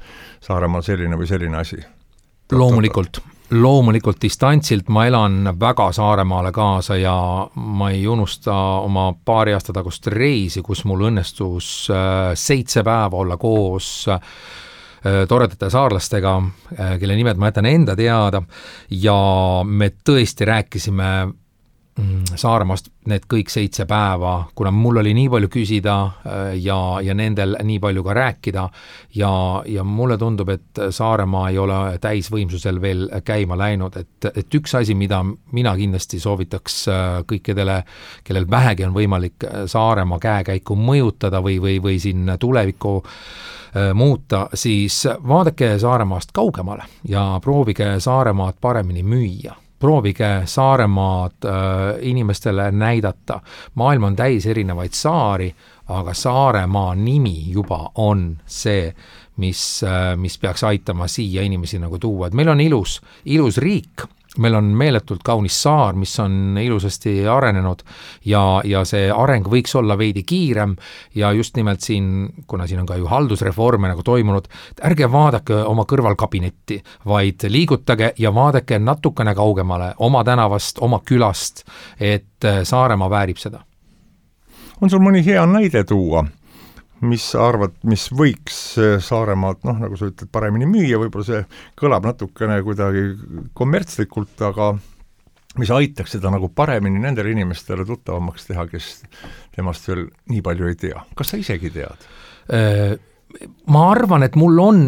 Saaremaal selline või selline asi. Loomulikult, loomulikult distantsilt ma elan väga Saaremaale kaasa ja ma ei unusta oma paari aasta tagust reisi, kus mul õnnestus seitse päeva olla koos toredate saarlastega, kelle nimed ma jätan enda teada ja me tõesti rääkisime Saaremaast need kõik seitse päeva, kuna mul oli nii palju küsida ja, ja nendel nii palju ka rääkida ja, ja mulle tundub, et Saaremaa ei ole täisvõimsusel veel käima läinud, et, et üks asi, mida mina kindlasti soovitaks kõikidele, kellel vähegi on võimalik Saaremaa käekäiku mõjutada või, või, või siin tulevikku muuta, siis vaadake Saaremaast kaugemale ja proovige Saaremaad paremini müüa. Proovige Saaremaad äh, inimestele näidata. Maailm on täis erinevaid saari, aga Saaremaa nimi juba on see, mis, äh, mis peaks aitama siia inimesi nagu tuua. Et meil on ilus, ilus riik, meil on meeletult kaunis saar, mis on ilusasti arenenud ja, ja see areng võiks olla veidi kiirem ja just nimelt siin, kuna siin on ka ju haldusreforme nagu toimunud, ärge vaadake oma kõrvalkabinetti, vaid liigutage ja vaadake natukene kaugemale oma tänavast, oma külast, et Saaremaa väärib seda. On sul mõni hea näide tuua? Mis arvad, mis võiks Saaremaalt, noh, nagu sa ütled, paremini müüa, võib-olla see kõlab natukene kuidagi kommertslikult, aga mis aitaks seda nagu paremini nendele inimestele tuttavamaks teha, kes temast veel nii palju ei tea. Kas sa isegi tead? Ma arvan, et mul on,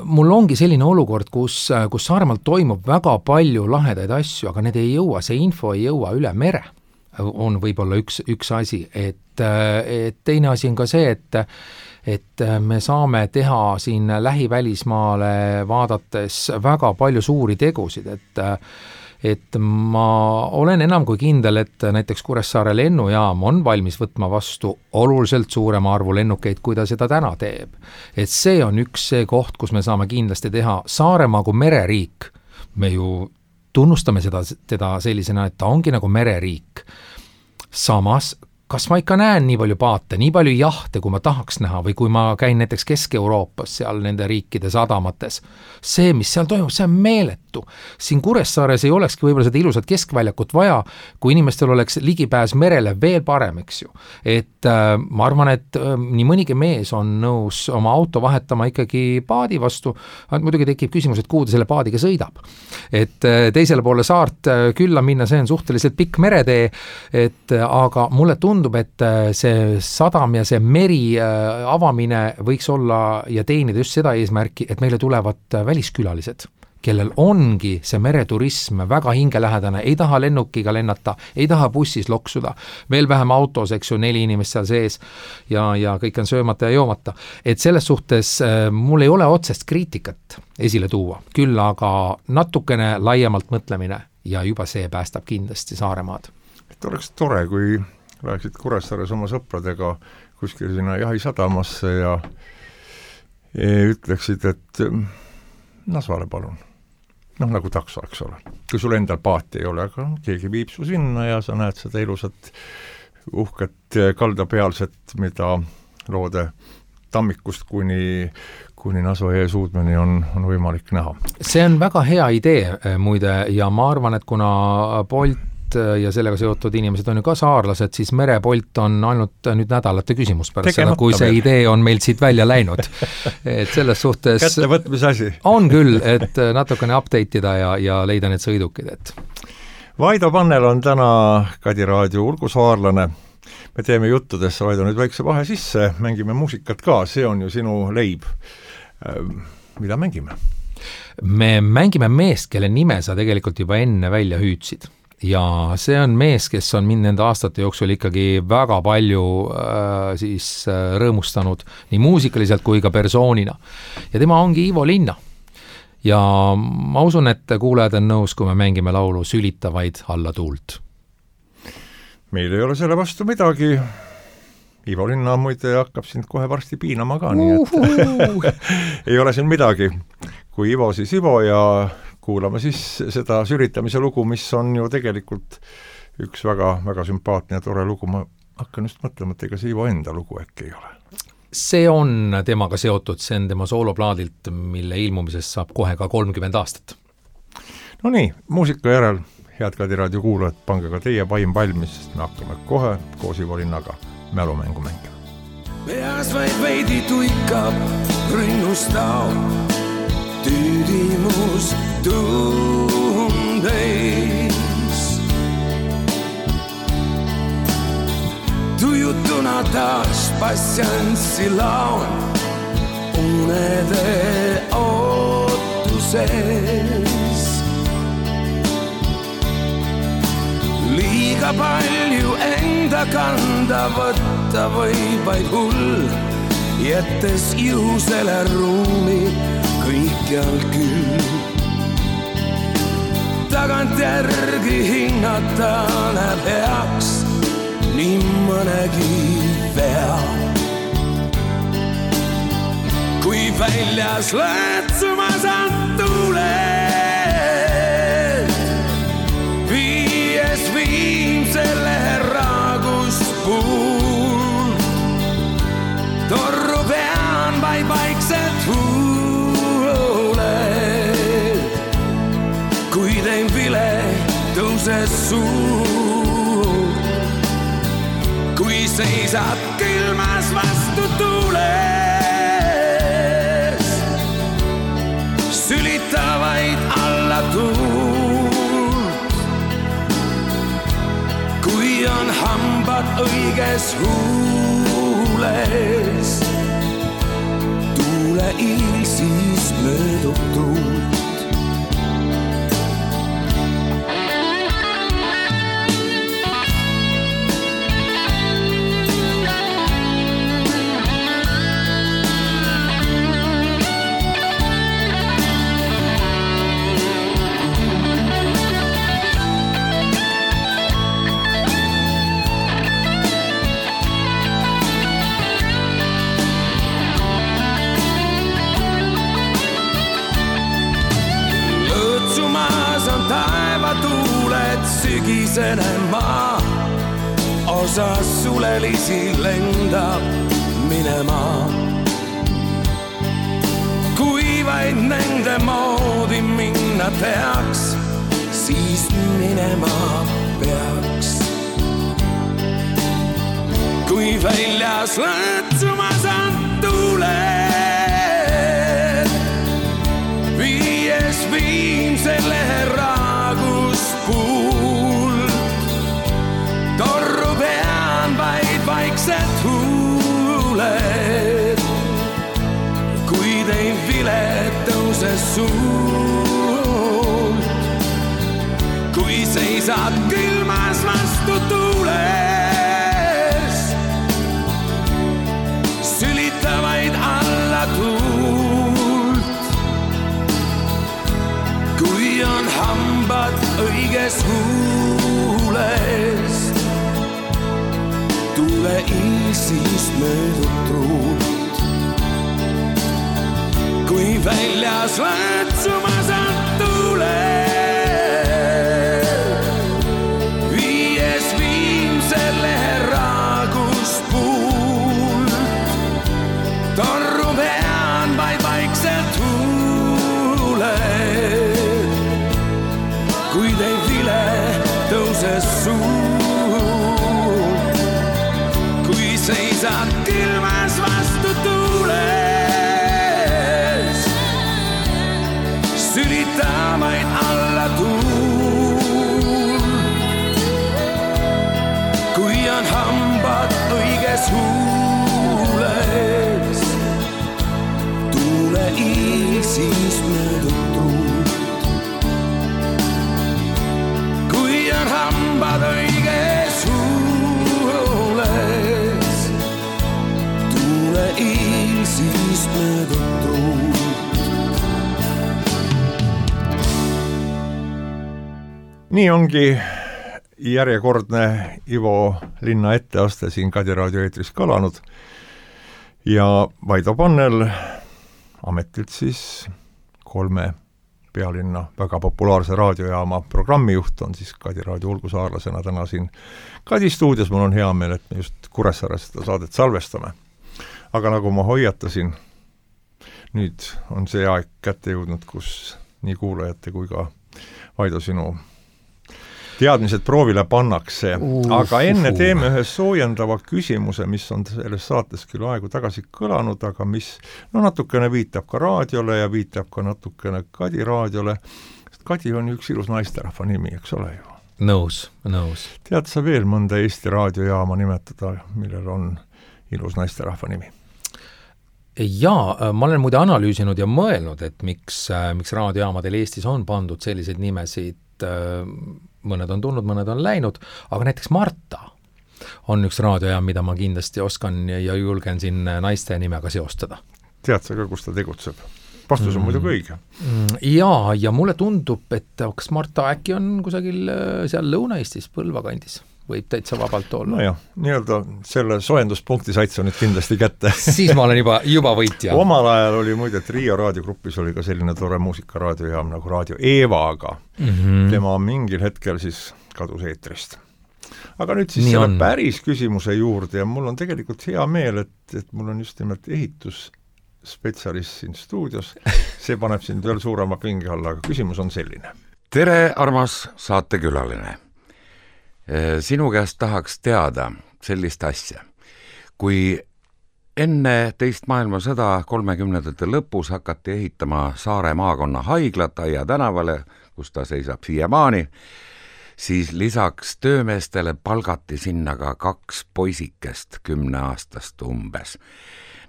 mul ongi selline olukord, kus, kus Saaremaalt toimub väga palju lahedaid asju, aga need ei jõua, see info ei jõua üle mere. On võib-olla üks, üks asi, et, et teine asi on ka see, et, et me saame teha siin lähivälismaale vaadates väga palju suuri tegusid, et, et ma olen enam kui kindel, et näiteks Kuressaare lennujaam on valmis võtma vastu oluliselt suurema arvu lennukeid, kui ta seda täna teeb. Et see on üks see koht, kus me saame kindlasti teha Saaremaa kui mereriik, me ju tunnustame seda, teda sellisena, et ta ongi nagu mereriik. Samas, kas ma ikka näen nii palju paate, nii palju jahte, kui ma tahaks näha, või kui ma käin näiteks Kesk-Euroopas, seal nende riikide sadamates, see, mis seal toimub, see on meeletu. Siin Kuressaares ei olekski võib-olla seda ilusat keskväljakut vaja, kui inimestel oleks ligipääs merele veel parem, eks ju. Et äh, ma arvan, et äh, nii mõnigi mees on nõus oma auto vahetama ikkagi paadi vastu, muidugi tekib küsimus, et kuhu ta selle paadiga sõidab. Et äh, teisele poole saart äh, külla minna, see on suhteliselt pikk meretee, et äh, aga mulle tundub, tundub, et see sadam ja see meri avamine võiks olla ja teenida just seda eesmärki, et meile tulevad väliskülalised, kellel ongi see mereturism väga hingelähedane, ei taha lennukiga lennata, ei taha bussis loksuda, veel vähem autos, eks ju, neli inimest seal sees ja, ja kõik on söömata ja joomata. Et selles suhtes mul ei ole otsest kriitikat esile tuua, küll aga natukene laiemalt mõtlemine ja juba see päästab kindlasti Saaremaad. Et oleks tore, kui läheksid Kuressaares oma sõpradega kuskil sinna jahisadamasse ja, ja ütleksid, et Nasvale palun. Noh, nagu takso, eks ole. Kui sul endal paati ei ole, aga keegi viib su sinna ja sa näed seda ilusat uhket kaldapealset, mida loode tammikust kuni, kuni Nasva jõe suudmeni on, on võimalik näha. See on väga hea idee muide ja ma arvan, et kuna Bolt ja sellega seotud inimesed on ju ka saarlased, siis merepolt on ainult nüüd nädalate küsimus pärast seda, kui see veel. Idee on meilt siit välja läinud. Et selles suhtes kättevõtmise asi. On küll, et natukene update'ida ja, ja leida need sõidukid. Et. Vaido Pannel on täna Kadi Raadio ulgusaarlane. Me teeme juttudesse, Vaido, nüüd väikse vahe sisse, mängime muusikat ka, see on ju sinu leib. Mida mängime? Me mängime meest, kelle nime sa tegelikult juba enne välja hüüdsid. Ja see on mees, kes on mind nende aastate jooksul ikkagi väga palju äh, siis äh, rõõmustanud nii muusikaliselt kui ka persoonina. Ja tema ongi Ivo Linna. Ja ma usun, et kuulajad on nõus, kui me mängime laulu Sülitavaid alla tuult. Meil ei ole selle vastu midagi. Ivo Linna muide hakkab sind kohe varsti piinama ka, nii et ei ole siin midagi. Kui Ivo, siis Ivo ja kuulame siis seda sülitamise lugu, mis on ju tegelikult üks väga, väga sümpaatne ja tore lugu. Ma hakkan just mõtlema, et ega see Ivo enda lugu äkki ei ole. See on temaga seotud, see on tema sooloplaadilt, mille ilmumisest saab kohe ka kolmkümmend aastat. No nii, muusika järel, head Kadi Raadio kuulajad, pange ka teie vaim valmis, sest me hakkame kohe koos Ivo Linnaga mälumängu mängima. Peas vaid veidi tuikab rinnustao, tüüdimus tundeis. Tujutuna taas passianssi laun unede ootuses. Liiga palju enda kanda võtta või vaid hull, jättes juhusele ruumi kõikjal küll. Tagant järgi hinnata näeb heaks nii mõnegi vea. Kui väljas lõõtsumas on tuuled, tõuses suur. Kui seisad külmas vastu tuules, sülitavaid alla tuult. Kui on hambad õiges huules, tuule iil siis möödub tuult. Sügisene maa osa sulelisi lendab minema. Kui vaid nende moodi minna peaks, siis minema peaks. Kui väljas lõõtsumas on tuuled, viies viimsele raagus puult. Torru pean vaid vaiksed huuled, kuid ei vile tõuses suult. Kui seisad külmas vastu tuules, sülitavaid alla tuult. Kui on hambad õiges huules, tuule iil siis möödub truult. Kui väljas lõõtsumas on tuuled, viies viimsele raagus puult. Torru pean vaid vaikselt huuled, kuid ei vile tõuses suult. Kui seisad külmas vastu tuules, sülitamaid alla tuult. Kui on hambad õiges huules, tuule iil siis möödub truult. Kui on hambad õiges huules, tuule iil siis möödub truult. Nii ongi järjekordne Ivo Linna etteaste siin Kadi raadio eetris kõlanud ja Vaido Pannel, ametilt siis kolme pealinna väga populaarse raadiojaama programmijuht, on siis Kadi raadio ulgusaarlasena täna siin Kadi stuudios. Mul on hea meel, et me just Kuressaares seda saadet salvestame. Aga nagu ma hoiatasin, nüüd on see aeg kätte jõudnud, kus nii kuulajate kui ka Vaido sinu teadmised proovile pannakse, uh, aga enne teeme ühe soojendava küsimuse, mis on selles saates küll aegu tagasi kõlanud, aga mis no natukene viitab ka raadiole ja viitab ka natukene Kadi raadiole. Kadi on üks ilus naisterahva nimi, eks ole ju? Nõus, nõus. Tead sa veel mõnda Eesti raadiojaama nimetada, millel on ilus naisterahva nimi? Jaa, ma olen muide analüüsinud ja mõelnud, et miks, miks raadiojaamadel Eestis on pandud selliseid nimesid, mõned on tulnud, mõned on läinud, aga näiteks Marta on üks raadiojaam, mida ma kindlasti oskan ja julgen siin naiste nimega seostada. Tead sa ka, kus ta tegutseb? Vastus on mm. muidugi õige. Jaa, ja mulle tundub, et kas Marta äkki on kusagil seal Lõuna-Eestis, Põlva kandis? Võib täitsa vabalt olla. No jah, nii-öelda selle soenduspunkti said sa nüüd kindlasti kätte. Siis ma olen juba, juba võitja. Omal ajal oli muide, et Riia raadiogrupis oli ka selline tore muusikaraadiojaam nagu Raadio Eeva, aga mm-hmm. tema mingil hetkel siis kadus eetrist. Aga nüüd siis Nii selle on. Päris küsimuse juurde ja mul on tegelikult hea meel, et, et mul on just nimelt ehitusspetsialist siin stuudios. See paneb sind veel suurema pinge alla, aga küsimus on selline. tere, armas saatekülaline. Sinu käest tahaks teada sellist asja. Kui enne teist maailmasõda kolmekümnendate lõpus hakati ehitama Saare maakonna haiglat Aia tänavale, kus ta seisab siiamaani, siis lisaks töömeestele palgati sinna ka kaks poisikest kümneaastast umbes.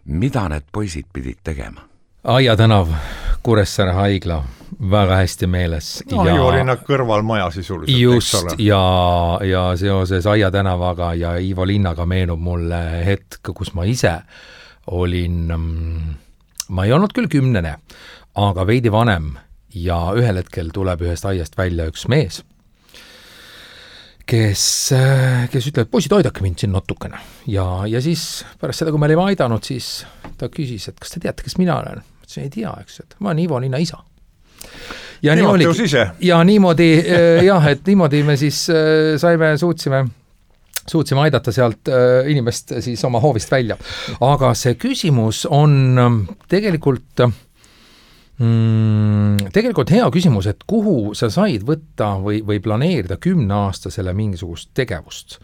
Mida need poisid pidid tegema? Aia tänav, Kuressaare haigla, väga hästi meeles. No ja, oli nad kõrval maja sisuliselt. Just, ja, ja seoses Aia tänavaga ja Ivo linnaga meenub mulle hetk, kus ma ise olin, ma ei olnud küll kümnene, aga veidi vanem ja ühel hetkel tuleb ühest aiast välja üks mees, kes, kes ütleb, et poisid, aidake mind siin natukene. Ja, ja siis pärast seda, kui me olime aidanud, siis ta küsis, et kas te teate, kes mina olen? Ma ütlesin, ei tea, eks, et ma olen Ivo linna isa. Ja, niimoodi, ja niimoodi, jah, et niimoodi me siis saime, suutsime, suutsime aidata sealt inimest siis oma hoovist välja. Aga see küsimus on tegelikult... Mm, tegelikult hea küsimus, et kuhu sa said võtta või, või planeerida kümneaastasele mingisugust tegevust.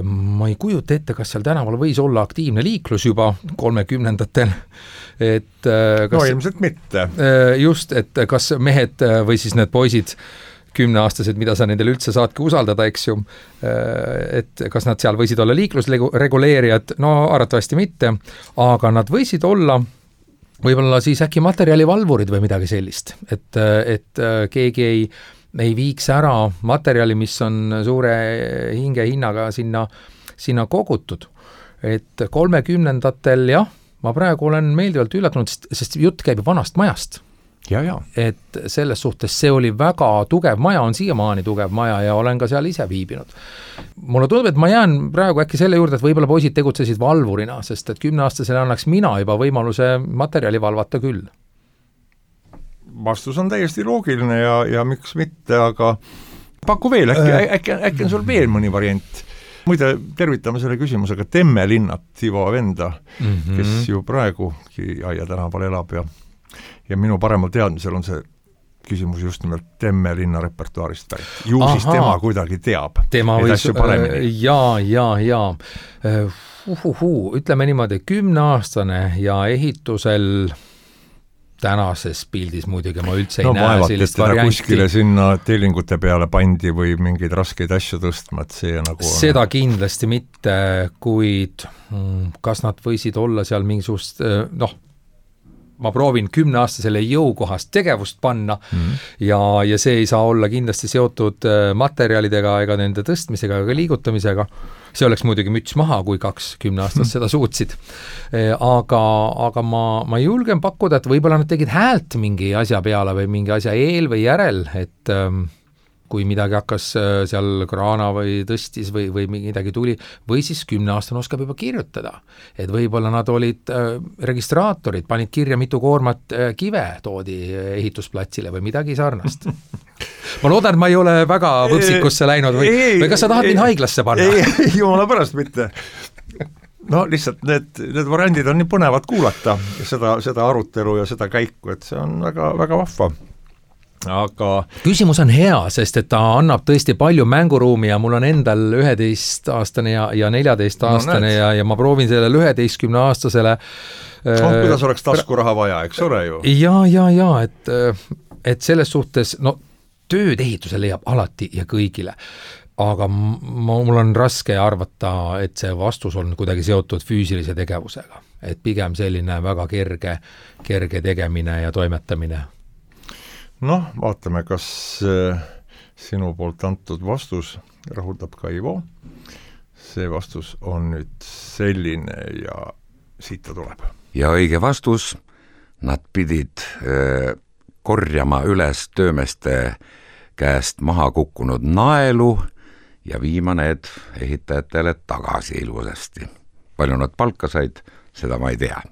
Ma ei kujuta ette, kas seal tänaval võis olla aktiivne liiklus juba kolmekümnendatel. Et, kas, no ilmselt mitte. Just, et kas mehed või siis need poisid kümneaastased, mida sa nendele üldse saadki usaldada, eks ju, et kas nad seal võisid olla liiklusreguleerijad, no arvatavasti mitte, aga nad võisid olla võib-olla siis äkki materjalivalvurid või midagi sellist, et, et keegi ei, ei viiks ära materjali, mis on suure hinge hinnaga sinna, sinna kogutud. Et kolmekümnendatel, jah, ma praegu olen meeldivalt üllatunud, sest, sest jutt käib vanast majast. Ja, ja. Et selles suhtes see oli väga tugev maja, on siiamaani tugev maja ja olen ka seal ise viibinud. Mulle tundub, et ma jään praegu äkki selle juurde, et võib-olla poisid tegutsesid valvurina, sest et kümneaastasele annaks mina juba võimaluse materjali valvata küll. Vastus on täiesti loogiline ja, ja miks mitte, aga paku veel, äkki, äh. äkki, äkki on sul veel mõni variant. Muide, tervitame selle küsimusega Temme linnat, Ivo venda, mm-hmm. kes ju praegu Aia tänaval elab ja ja minu paremal teadmisel on see küsimus just nimelt Temme linna repertuaarist pärit. Ju Aha. siis tema kuidagi teab tema neid asju paremini. Jaa, jaa, jaa. Uhuhu, ütleme niimoodi, kümneaastane ja ehitusel tänases pildis muidugi ma üldse ei no, näe vaevat, sellist varianti. varianti. Kuskile sinna tellingute peale pandi või mingeid raskeid asju tõstma, et see nagu on... Seda kindlasti mitte, kuid kas nad võisid olla seal mingisugust, noh, ma proovin kümneaastasele jõukohast tegevust panna mm. ja, ja see ei saa olla kindlasti seotud materjalidega ega nende tõstmisega ega liigutamisega. See oleks muidugi müts maha, kui kaks kümneaastast mm. seda suutsid. Aga, aga ma, ma julgen pakkuda, et võib-olla nad tegid häält mingi asja peale või mingi asja eel või järel, et kui midagi hakkas seal kraana või tõstis või, või midagi tuli, või siis kümneaastane oskab juba kirjutada. Et võib-olla nad olid äh, registraatorid, panid kirja mitu koormat äh, kive toodi ehitusplatsile või midagi sarnast. Ma loodan, et ma ei ole väga võpsikusse läinud või, ei, või kas sa tahad ei, mind haiglasse panna? Ei, ei, jumala pärast mitte. No lihtsalt need, need variandid on nii põnevad kuulata ja seda, seda arutelu ja seda käiku, et see on väga, väga vahva. Aga küsimus on hea, sest et ta annab tõesti palju mänguruumi ja mul on endal üheteist-aastane ja, ja neljateist-aastane no, ja, ja ma proovin sellele üheteistkümne-aastasele oh, kuidas oleks taskuraha vaja, eks ole ju? Ja, ja, ja, et, et selles suhtes, no tööd ehitusel leiab alati ja kõigile, aga ma, mul on raske arvata, et see vastus on kuidagi seotud füüsilise tegevusega, et pigem selline väga kerge, kerge tegemine ja toimetamine. Noh, vaatame, kas sinu poolt antud vastus rahuldab ka Ivo. See vastus on nüüd selline ja siit ta tuleb. Ja õige vastus, nad pidid äh, korjama üles töömeste käest maha kukkunud naelu ja viima need ehitajatele tagasi ilusasti. Palju nad palka said, seda ma ei tea.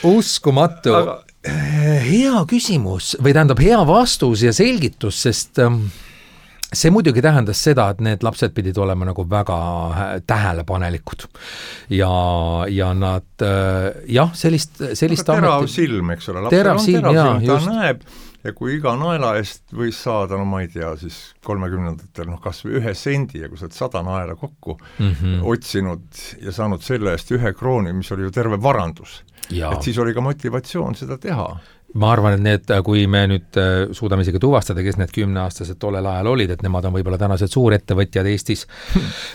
Uskumatu. Aga hea küsimus või tähendab hea vastus ja selgitus, sest see muidugi tähendas seda, et need lapsed pidid olema nagu väga tähelepanelikud ja, ja nad jah, sellist, sellist terav ameti... silm, eks ole, lapsel terav on silm, terav silm, ta just... näeb, ja kui iga naela eest võis saada, no ma ei tea, siis kolmekümnendatel noh, kas või ühe sendi ja kui sa oled sada naela kokku mm -hmm. otsinud ja saanud selle eest ühe krooni, mis oli ju terve varandus, ja. et siis oli ka motivatsioon seda teha. Ma arvan, et need, kui me nüüd suudame isegi tuvastada, kes need kümneaastased tollel ajal olid, et nemad on võib-olla tänased suurettevõtjad Eestis,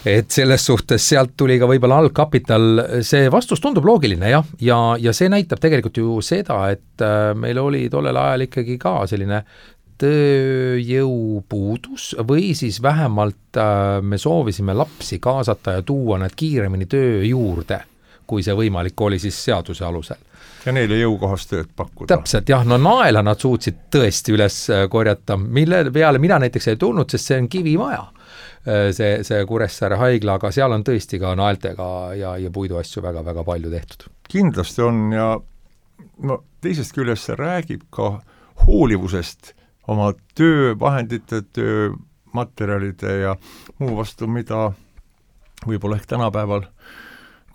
et selles suhtes sealt tuli ka võib-olla algkapital, see vastus tundub loogiline jah, ja, ja see näitab tegelikult ju seda, et meil oli tollel ajal ikkagi ka selline tööjõupuudus või siis vähemalt me soovisime lapsi kaasata ja tuua nad kiiremini töö juurde, kui see võimalik oli siis seaduse alusel. Ja neile jõukohast tööd pakkuda. Täpselt, jah, no naela nad suutsid tõesti üles korjata, mille peale mina näiteks ei tulnud, sest see on kivimaja, see, see Kuressaare haigla, aga seal on tõesti ka naeltega ja, ja puiduasju väga-väga palju tehtud. Kindlasti on ja no, teisest küljest see räägib ka hoolivusest oma töövahendite, töömaterjalide ja muu vastu, mida võib-olla ehk tänapäeval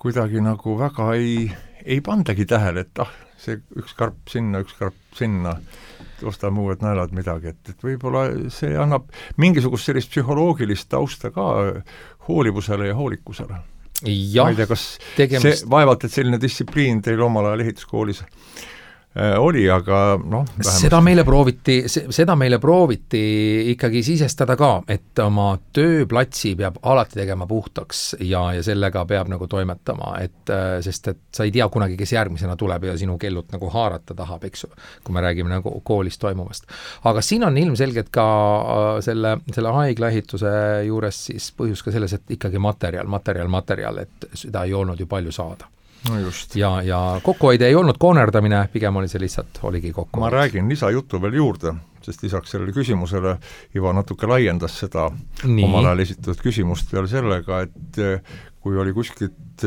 kuidagi nagu väga ei ei pandagi tähele, et ah, see üks karp sinna, üks karp sinna, ostame uued naelad midagi, et, et võib-olla see annab mingisugust sellist psühholoogilist tausta ka hoolivusele ja hoolikusele. Ja, ma ei tea, kas tegemist... see vaevalt, et selline distsipliin teil omal ajal ehituskoolis oli, aga noh, seda meile prooviti, seda meile prooviti ikkagi sisestada ka, et oma tööplatsi peab alati tegema puhtaks ja, ja sellega peab nagu toimetama, et sest et sa ei tea kunagi, kes järgmisena tuleb ja sinu kellut nagu haarata tahab, eks ju, kui me räägime nagu koolis toimuvast. Aga siin on ilmselgelt ka selle, selle haigla ehituse juures siis põhjus ka selles, et ikkagi materjal, materjal, materjal, et seda ei olnud ju palju saada. No just. Ja, ja kokkuhoide ei olnud koonerdamine, pigem oli see lihtsalt, oligi kokkuhoid. Ma räägin lisajuttu veel juurde, sest lisaks sellele küsimusele Iva natuke laiendas seda Nii. omal ajal esitatud küsimust veel sellega, et kui oli kuskilt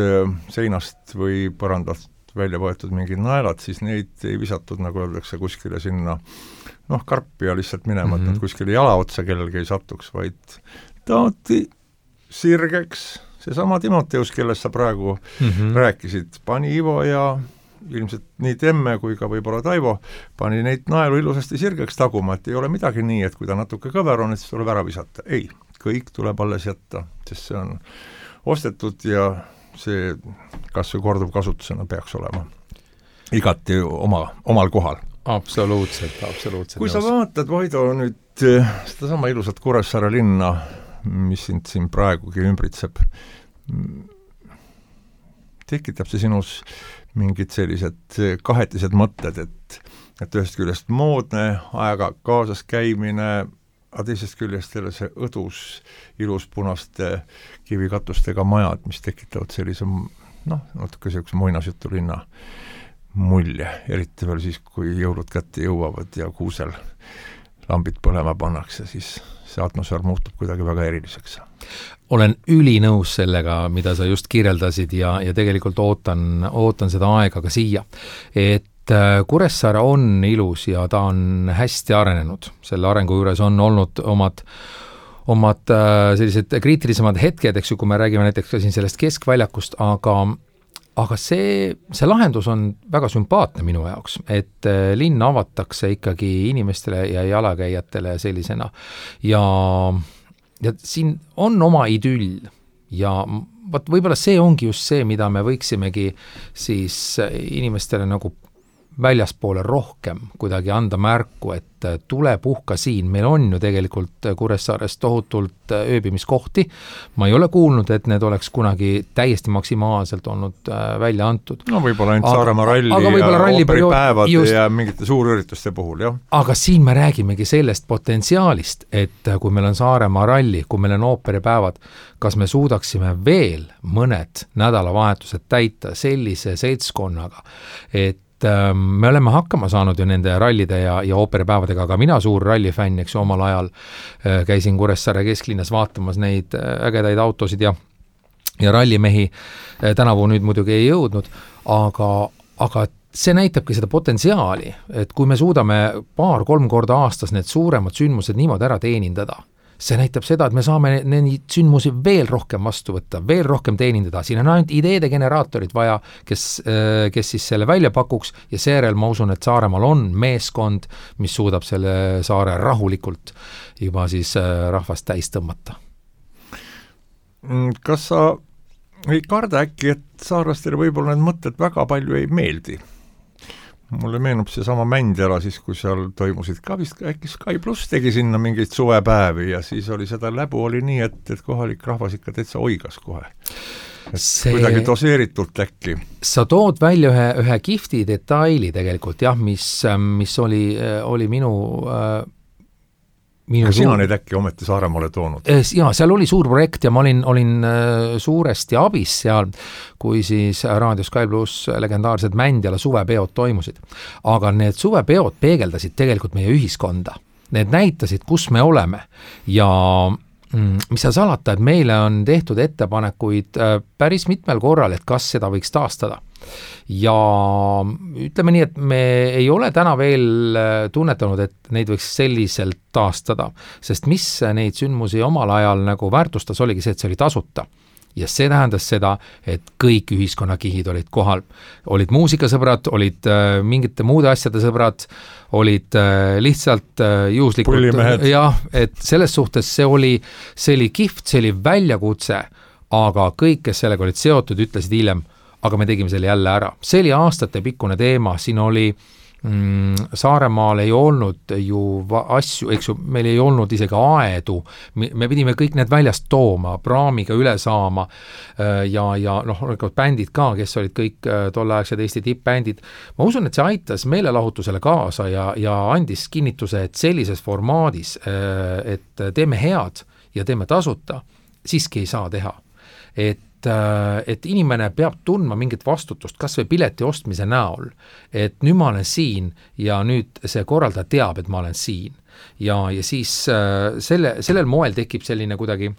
seinast või põrandast välja võetud mingid naelad, siis neid ei visatud, nagu öeldakse, kuskile sinna noh, karpi ja lihtsalt minema, mm-hmm. et nad kuskile jalaotsa kellelgi ei satuks, vaid taoti sirgeks. Seesama Timoteus, kellest sa praegu mm-hmm. rääkisid, pani Ivo ja ilmselt nii Temme kui ka võib-olla Taivo, pani neid naelu ilusasti sirgeks taguma, et ei ole midagi nii, et kui ta natuke kõver on, et siis tuleb ära visata. Ei, kõik tuleb alles jätta, sest see on ostetud ja see kas või korduv kasutusena peaks olema igati oma, omal kohal. Absoluutselt, absoluutselt. Kui sa vaatad, Vaido, nüüd seda sama ilusat Kuressaare linna, mis sind siin praegugi ümbritseb, tekitab see sinus mingid sellised kahetised mõtted, et, et ühest küljest moodne aega kaasas käimine, aga teisest küljest jälle see õdus ilus punaste kivikatustega majad, mis tekitavad sellise noh, natuke sellise muinasjutu linna mulje, eriti veel siis, kui jõulud kätte jõuavad ja kuusel lambid põlema pannakse, siis see atmosfäär muutub kuidagi väga eriliseks. Olen ülinõus sellega, mida sa just kirjeldasid ja, ja tegelikult ootan, ootan seda aega ka siia. Et Kuressaare on ilus ja ta on hästi arenenud. Selle arengu juures on olnud omad, omad sellised kriitilisemad hetked, eks ju, kui me räägime näiteks ka siin sellest keskväljakust, aga Aga see, see lahendus on väga sümpaatne minu jaoks, et linn avatakse ikkagi inimestele ja jalakäijatele sellisena. Ja, ja siin on oma idüll ja vaat võib-olla see ongi just see, mida me võiksimegi siis inimestele nagu väljaspoole rohkem kuidagi anda märku, et tule puhka siin, meil on ju tegelikult Kuressaares tohutult ööbimiskohti, ma ei ole kuulnud, et need oleks kunagi täiesti maksimaalselt olnud välja antud. No võib-olla ainult Saaremaa ralli ja ooperipäevad ja mingite suurürituste puhul, jah. Aga siin me räägimegi sellest potentsiaalist, et kui meil on Saaremaa ralli, kui meil on ooperipäevad, kas me suudaksime veel mõned nädalavahetused täita sellise seltskonnaga, et me oleme hakkama saanud ju nende rallide ja, ja ooperipäevadega, aga mina suur rallifänn, eks ju, omal ajal käisin Kuressaare kesklinnas vaatamas neid ägedaid autosid ja, ja rallimehi tänavu nüüd muidugi ei jõudnud, aga, aga see näitabki seda potentsiaali, et kui me suudame paar-kolm korda aastas need suuremad sündmused niimoodi ära teenindada, see näitab seda, et me saame neid sündmusi veel rohkem vastu võtta, veel rohkem teenindada, siin on ainult ideede generaatorid vaja, kes, kes siis selle välja pakuks ja seejärel ma usun, et Saaremaal on meeskond, mis suudab selle saare rahulikult juba siis rahvast täis tõmmata. Kas sa ei karda äkki, et saarlastele võib-olla need mõtted väga palju ei meeldi? Mulle meenub see sama Mändjala siis, kui seal toimusid ka vist äkki Sky Plus tegi sinna mingeid suvepäevi ja siis oli seda läbu oli nii, et, et kohalik rahvas ikka täitsa oigas kohe. Et see... kuidagi doseeritult äkki. Sa tood välja ühe, ühe kihvti detaili tegelikult, jah, mis, mis oli, oli minu... Minu sina suur... neid äkki ometi Saaremaale toonud? Jaa, seal oli suur projekt ja ma olin, olin suuresti abis seal, kui siis Raadio Sky Plus legendaarsed Mändjala suvepeod toimusid. Aga need suvepeod peegeldasid tegelikult meie ühiskonda. Need näitasid, kus me oleme ja mis sa salata, et meile on tehtud ettepanekuid päris mitmel korral, et kas seda võiks taastada. Ja ütleme nii, et me ei ole täna veel tunnetanud, et neid võiks selliselt taastada, sest mis neid sündmusi omal ajal nagu väärtustas oligi see, et see oli tasuta. Ja see tähendas seda, et kõik ühiskonnakihid olid kohal. Olid muusikasõbrad, olid äh, mingite muude asjade sõbrad, olid äh, lihtsalt äh, juhuslikult. Pullimehed. Jah, et selles suhtes see oli, see oli kihvt, see oli väljakutse, aga kõik, kes sellega olid seotud, ütlesid hiljem, aga me tegime selle jälle ära. See oli aastate pikkune teema, siin oli mm, Saaremaal ei olnud ju asju, eks ju, meil ei olnud isegi aedu, me pidime kõik need väljast tooma, praamiga üle saama ja, ja noh, bändid ka, kes olid kõik tolleaegsed Eesti tippbändid. Ma usun, et see aitas meelelahutusele kaasa ja, ja andis kinnituse, et sellises formaadis, et teeme head ja teeme tasuta, siiski ei saa teha. Et et inimene peab tundma mingit vastutust, kas või pileti ostmise näol, et nüüd ma olen siin ja nüüd see korraldaja teab, et ma olen siin. Ja, ja siis selle, sellel moel tekib selline kuidagi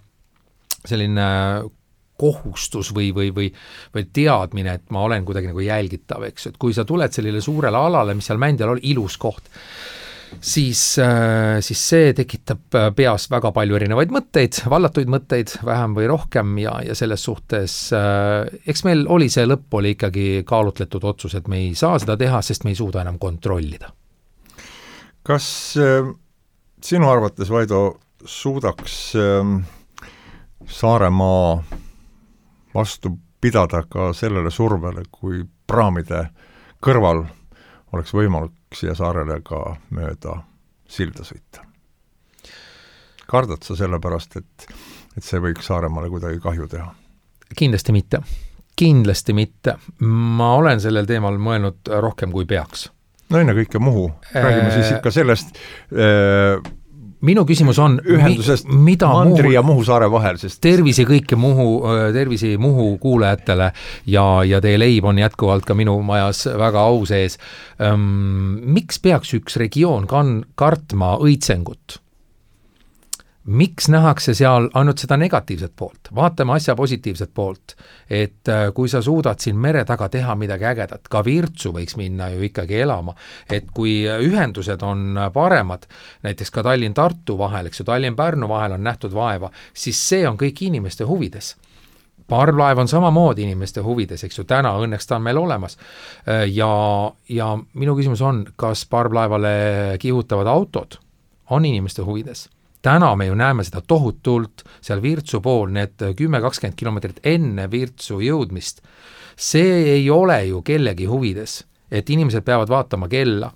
selline kohustus või, või, või, või teadmine, et ma olen kuidagi nagu jälgitav, eks, et kui sa tuled sellele suurele alale, mis seal Mändjal oli ilus koht, siis, siis see tekitab peas väga palju erinevaid mõtteid, vallatuid mõtteid, vähem või rohkem ja, ja selles suhtes, eks meil oli see lõpp oli ikkagi kaalutletud otsus, et me ei saa seda teha, sest me ei suuda enam kontrollida. Kas äh, sinu arvates, Vaido, suudaks äh, Saaremaa vastu pidada ka sellele survele, kui praamide kõrval oleks võimalik siia saarele ka mööda silda sõita? Kardad sa selle pärast, et, et see võiks Saaremaale kuidagi kahju teha? Kindlasti mitte. Kindlasti mitte. Ma olen sellel teemal mõelnud rohkem kui peaks. No enne kõike Muhu. Räägime siis ikka sellest äh, minu küsimus on, ühendusest mi, mida Mandri Muhu, ja Muhu saare vahel, sest tervisi kõike Muhu, tervisi Muhu kuulajatele ja, ja teie leib on jätkuvalt ka minu majas väga au sees. Ähm, miks peaks üks regioon kan, kartma õitsengut? Miks nähakse seal ainult seda negatiivset poolt? Vaatame asja positiivset poolt, et kui sa suudad siin mere taga teha midagi ägedat, ka Virtsu võiks minna ju ikkagi elama, et kui ühendused on paremad, näiteks ka Tallinn-Tartu vahel, eks ju, Tallinn-Pärnu vahel on nähtud vaeva, siis see on kõik inimeste huvides. Parvlaev on samamoodi inimeste huvides, eks ju, täna õnneks ta on meil olemas. Ja, ja minu küsimus on, kas parvlaevale kihutavad autod on inimeste huvides? Täna me ju näeme seda tohutult seal Virtsu pool, need kümme kakskümmend kilomeetrit enne Virtsu jõudmist. See ei ole ju kellegi huvides, et inimesed peavad vaatama kella.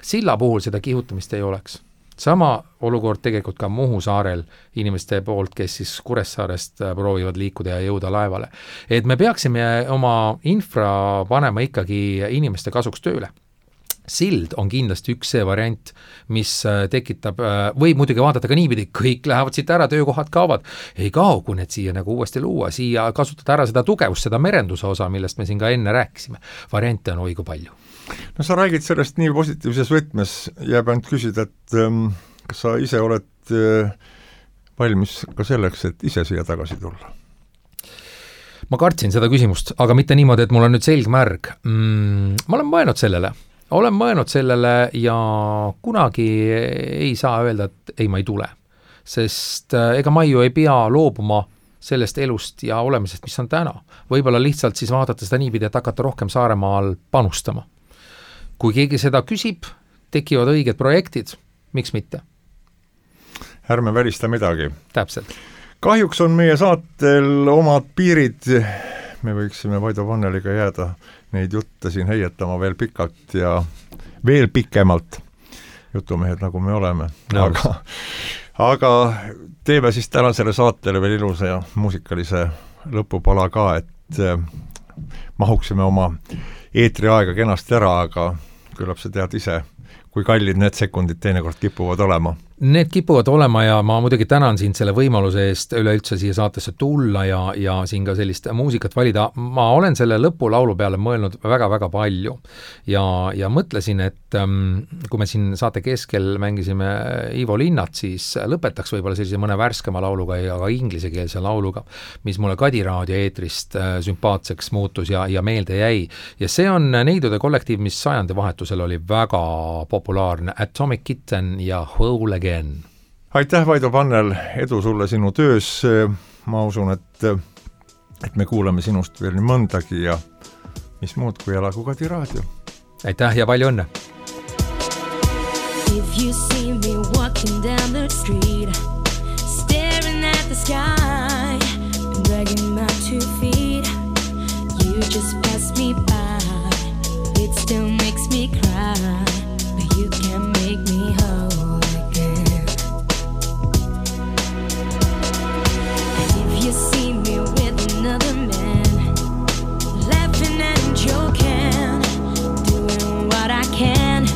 Silla puhul seda kihutamist ei oleks. Sama olukord tegelikult ka Muhu saarel inimeste poolt, kes siis Kuressaarest proovivad liikuda ja jõuda laevale. Et me peaksime oma infra panema ikkagi inimeste kasuks tööle. Sild on kindlasti üks see variant, mis tekitab, või muidugi vaadata ka niipidi, kõik lähevad siit ära, töökohad kaovad, ei kao, kui need siia nagu uuesti luua, siia kasutada ära seda tugevust, seda merenduse osa, millest me siin ka enne rääkisime. Variante on õigu palju. No sa räägid sellest nii positiivses võtmes, jääb ainult küsida, et ähm, kas sa ise oled äh, valmis ka selleks, et ise siia tagasi tulla? Ma kartsin seda küsimust, aga mitte niimoodi, et mul on nüüd selgmärg. Mm, ma olen mõelnud sellele. Olen mõelnud sellele ja kunagi ei saa öelda, et ei, ma ei tule. sest ega ma ju ei pea loobuma sellest elust ja olemisest, mis on täna. Võib-olla lihtsalt siis vaadata seda niipidi, et hakata rohkem Saaremaal panustama. Kui keegi seda küsib, tekivad õiged projektid, miks mitte? Ärme välista midagi. Täpselt. Kahjuks on meie saatel omad piirid, me võiksime Vaido Vanneliga jääda neid jutte siin heietama veel pikalt ja veel pikemalt, jutumehed nagu me oleme. No. Aga, aga teeme siis tänasele saatele veel ilusa ja muusikalise lõpupala ka, et mahuksime oma eetriaega kenasti ära, aga küllap sa tead ise, kui kallid need sekundid teinekord kipuvad olema. Need kipuvad olema ja ma muidugi tänan sind selle võimaluse eest üleüldse siia saatesse tulla ja, ja siin ka sellist muusikat valida. Ma olen selle lõpulaulu peale mõelnud väga-väga palju ja, ja mõtlesin, et ähm, kui me siin saate keskel mängisime Ivo Linnat, siis lõpetaks võib-olla sellise mõne värskema lauluga ja ka inglisekeelse lauluga, mis mulle Kadi raadio eetrist äh, sümpaatseks muutus ja, ja meelde jäi. Ja see on Neidude kollektiiv, mis sajandi vahetusel oli väga populaarne, Atomic Kitten ja Whole Again. Aitäh, Vaido Vannel, edu sulle sinu töös. Ma usun, et, et me kuuleme sinust veel nii mõndagi ja mis muud kui elagu Kadi raadio. Aitäh ja palju õnne! If you see me walking down the street, staring at the sky and dragging my two feet, you just pass me by. It still makes me cry, but you can make me whole again. And if you see me with another man, laughing and joking, doing what I can,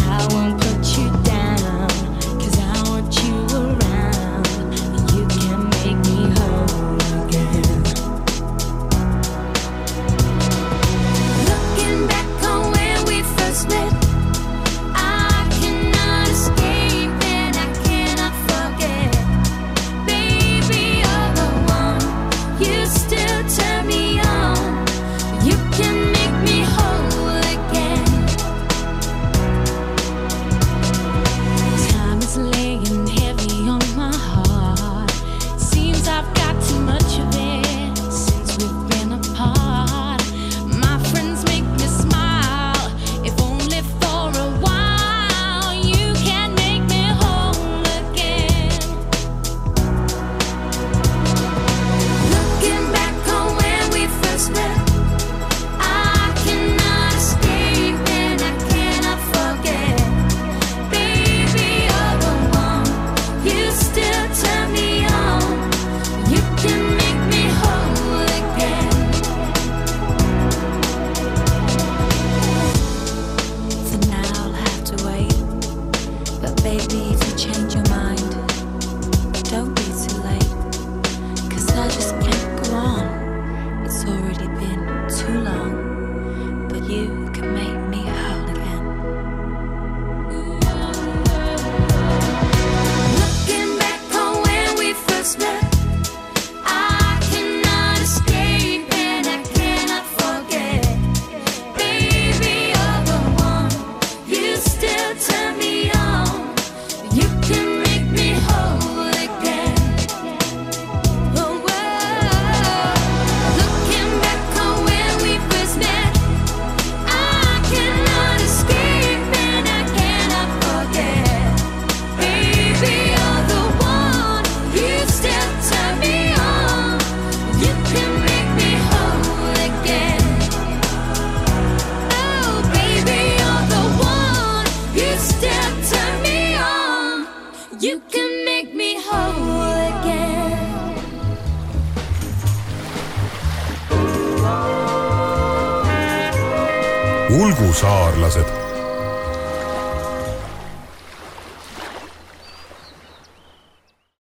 I won't put you down, 'cause I want you around, and you can make me whole again. Looking back on when we first met, I cannot escape and I cannot forget. Baby, you're the one, you still turn me on, you can make me whole again. Time is laying heavy on my heart, seems I've got too much of it since we've been apart. My friends make me smile, if only for a while. You can make me whole again. Looking back on when we first met, I cannot escape and I cannot forget. Baby, you're the one, you still turn me on, you can make me whole again. For now I'll have to wait, but baby, if you change your mind, don't be too late, 'cause I just can't go on. It's already been too long, but you can make me whole again. Looking back on when we first met, I cannot escape and I cannot forget. Baby, you're the one, you still turn me on, you can make me whole again. Oh, whoa. Looking back on when we first met, I cannot escape and I cannot forget. Baby, you're the one, you still turn me on, you can make me whole again. Oh, baby, you're the one, you still turn me on, you can make me whole again. Ulgu saarlased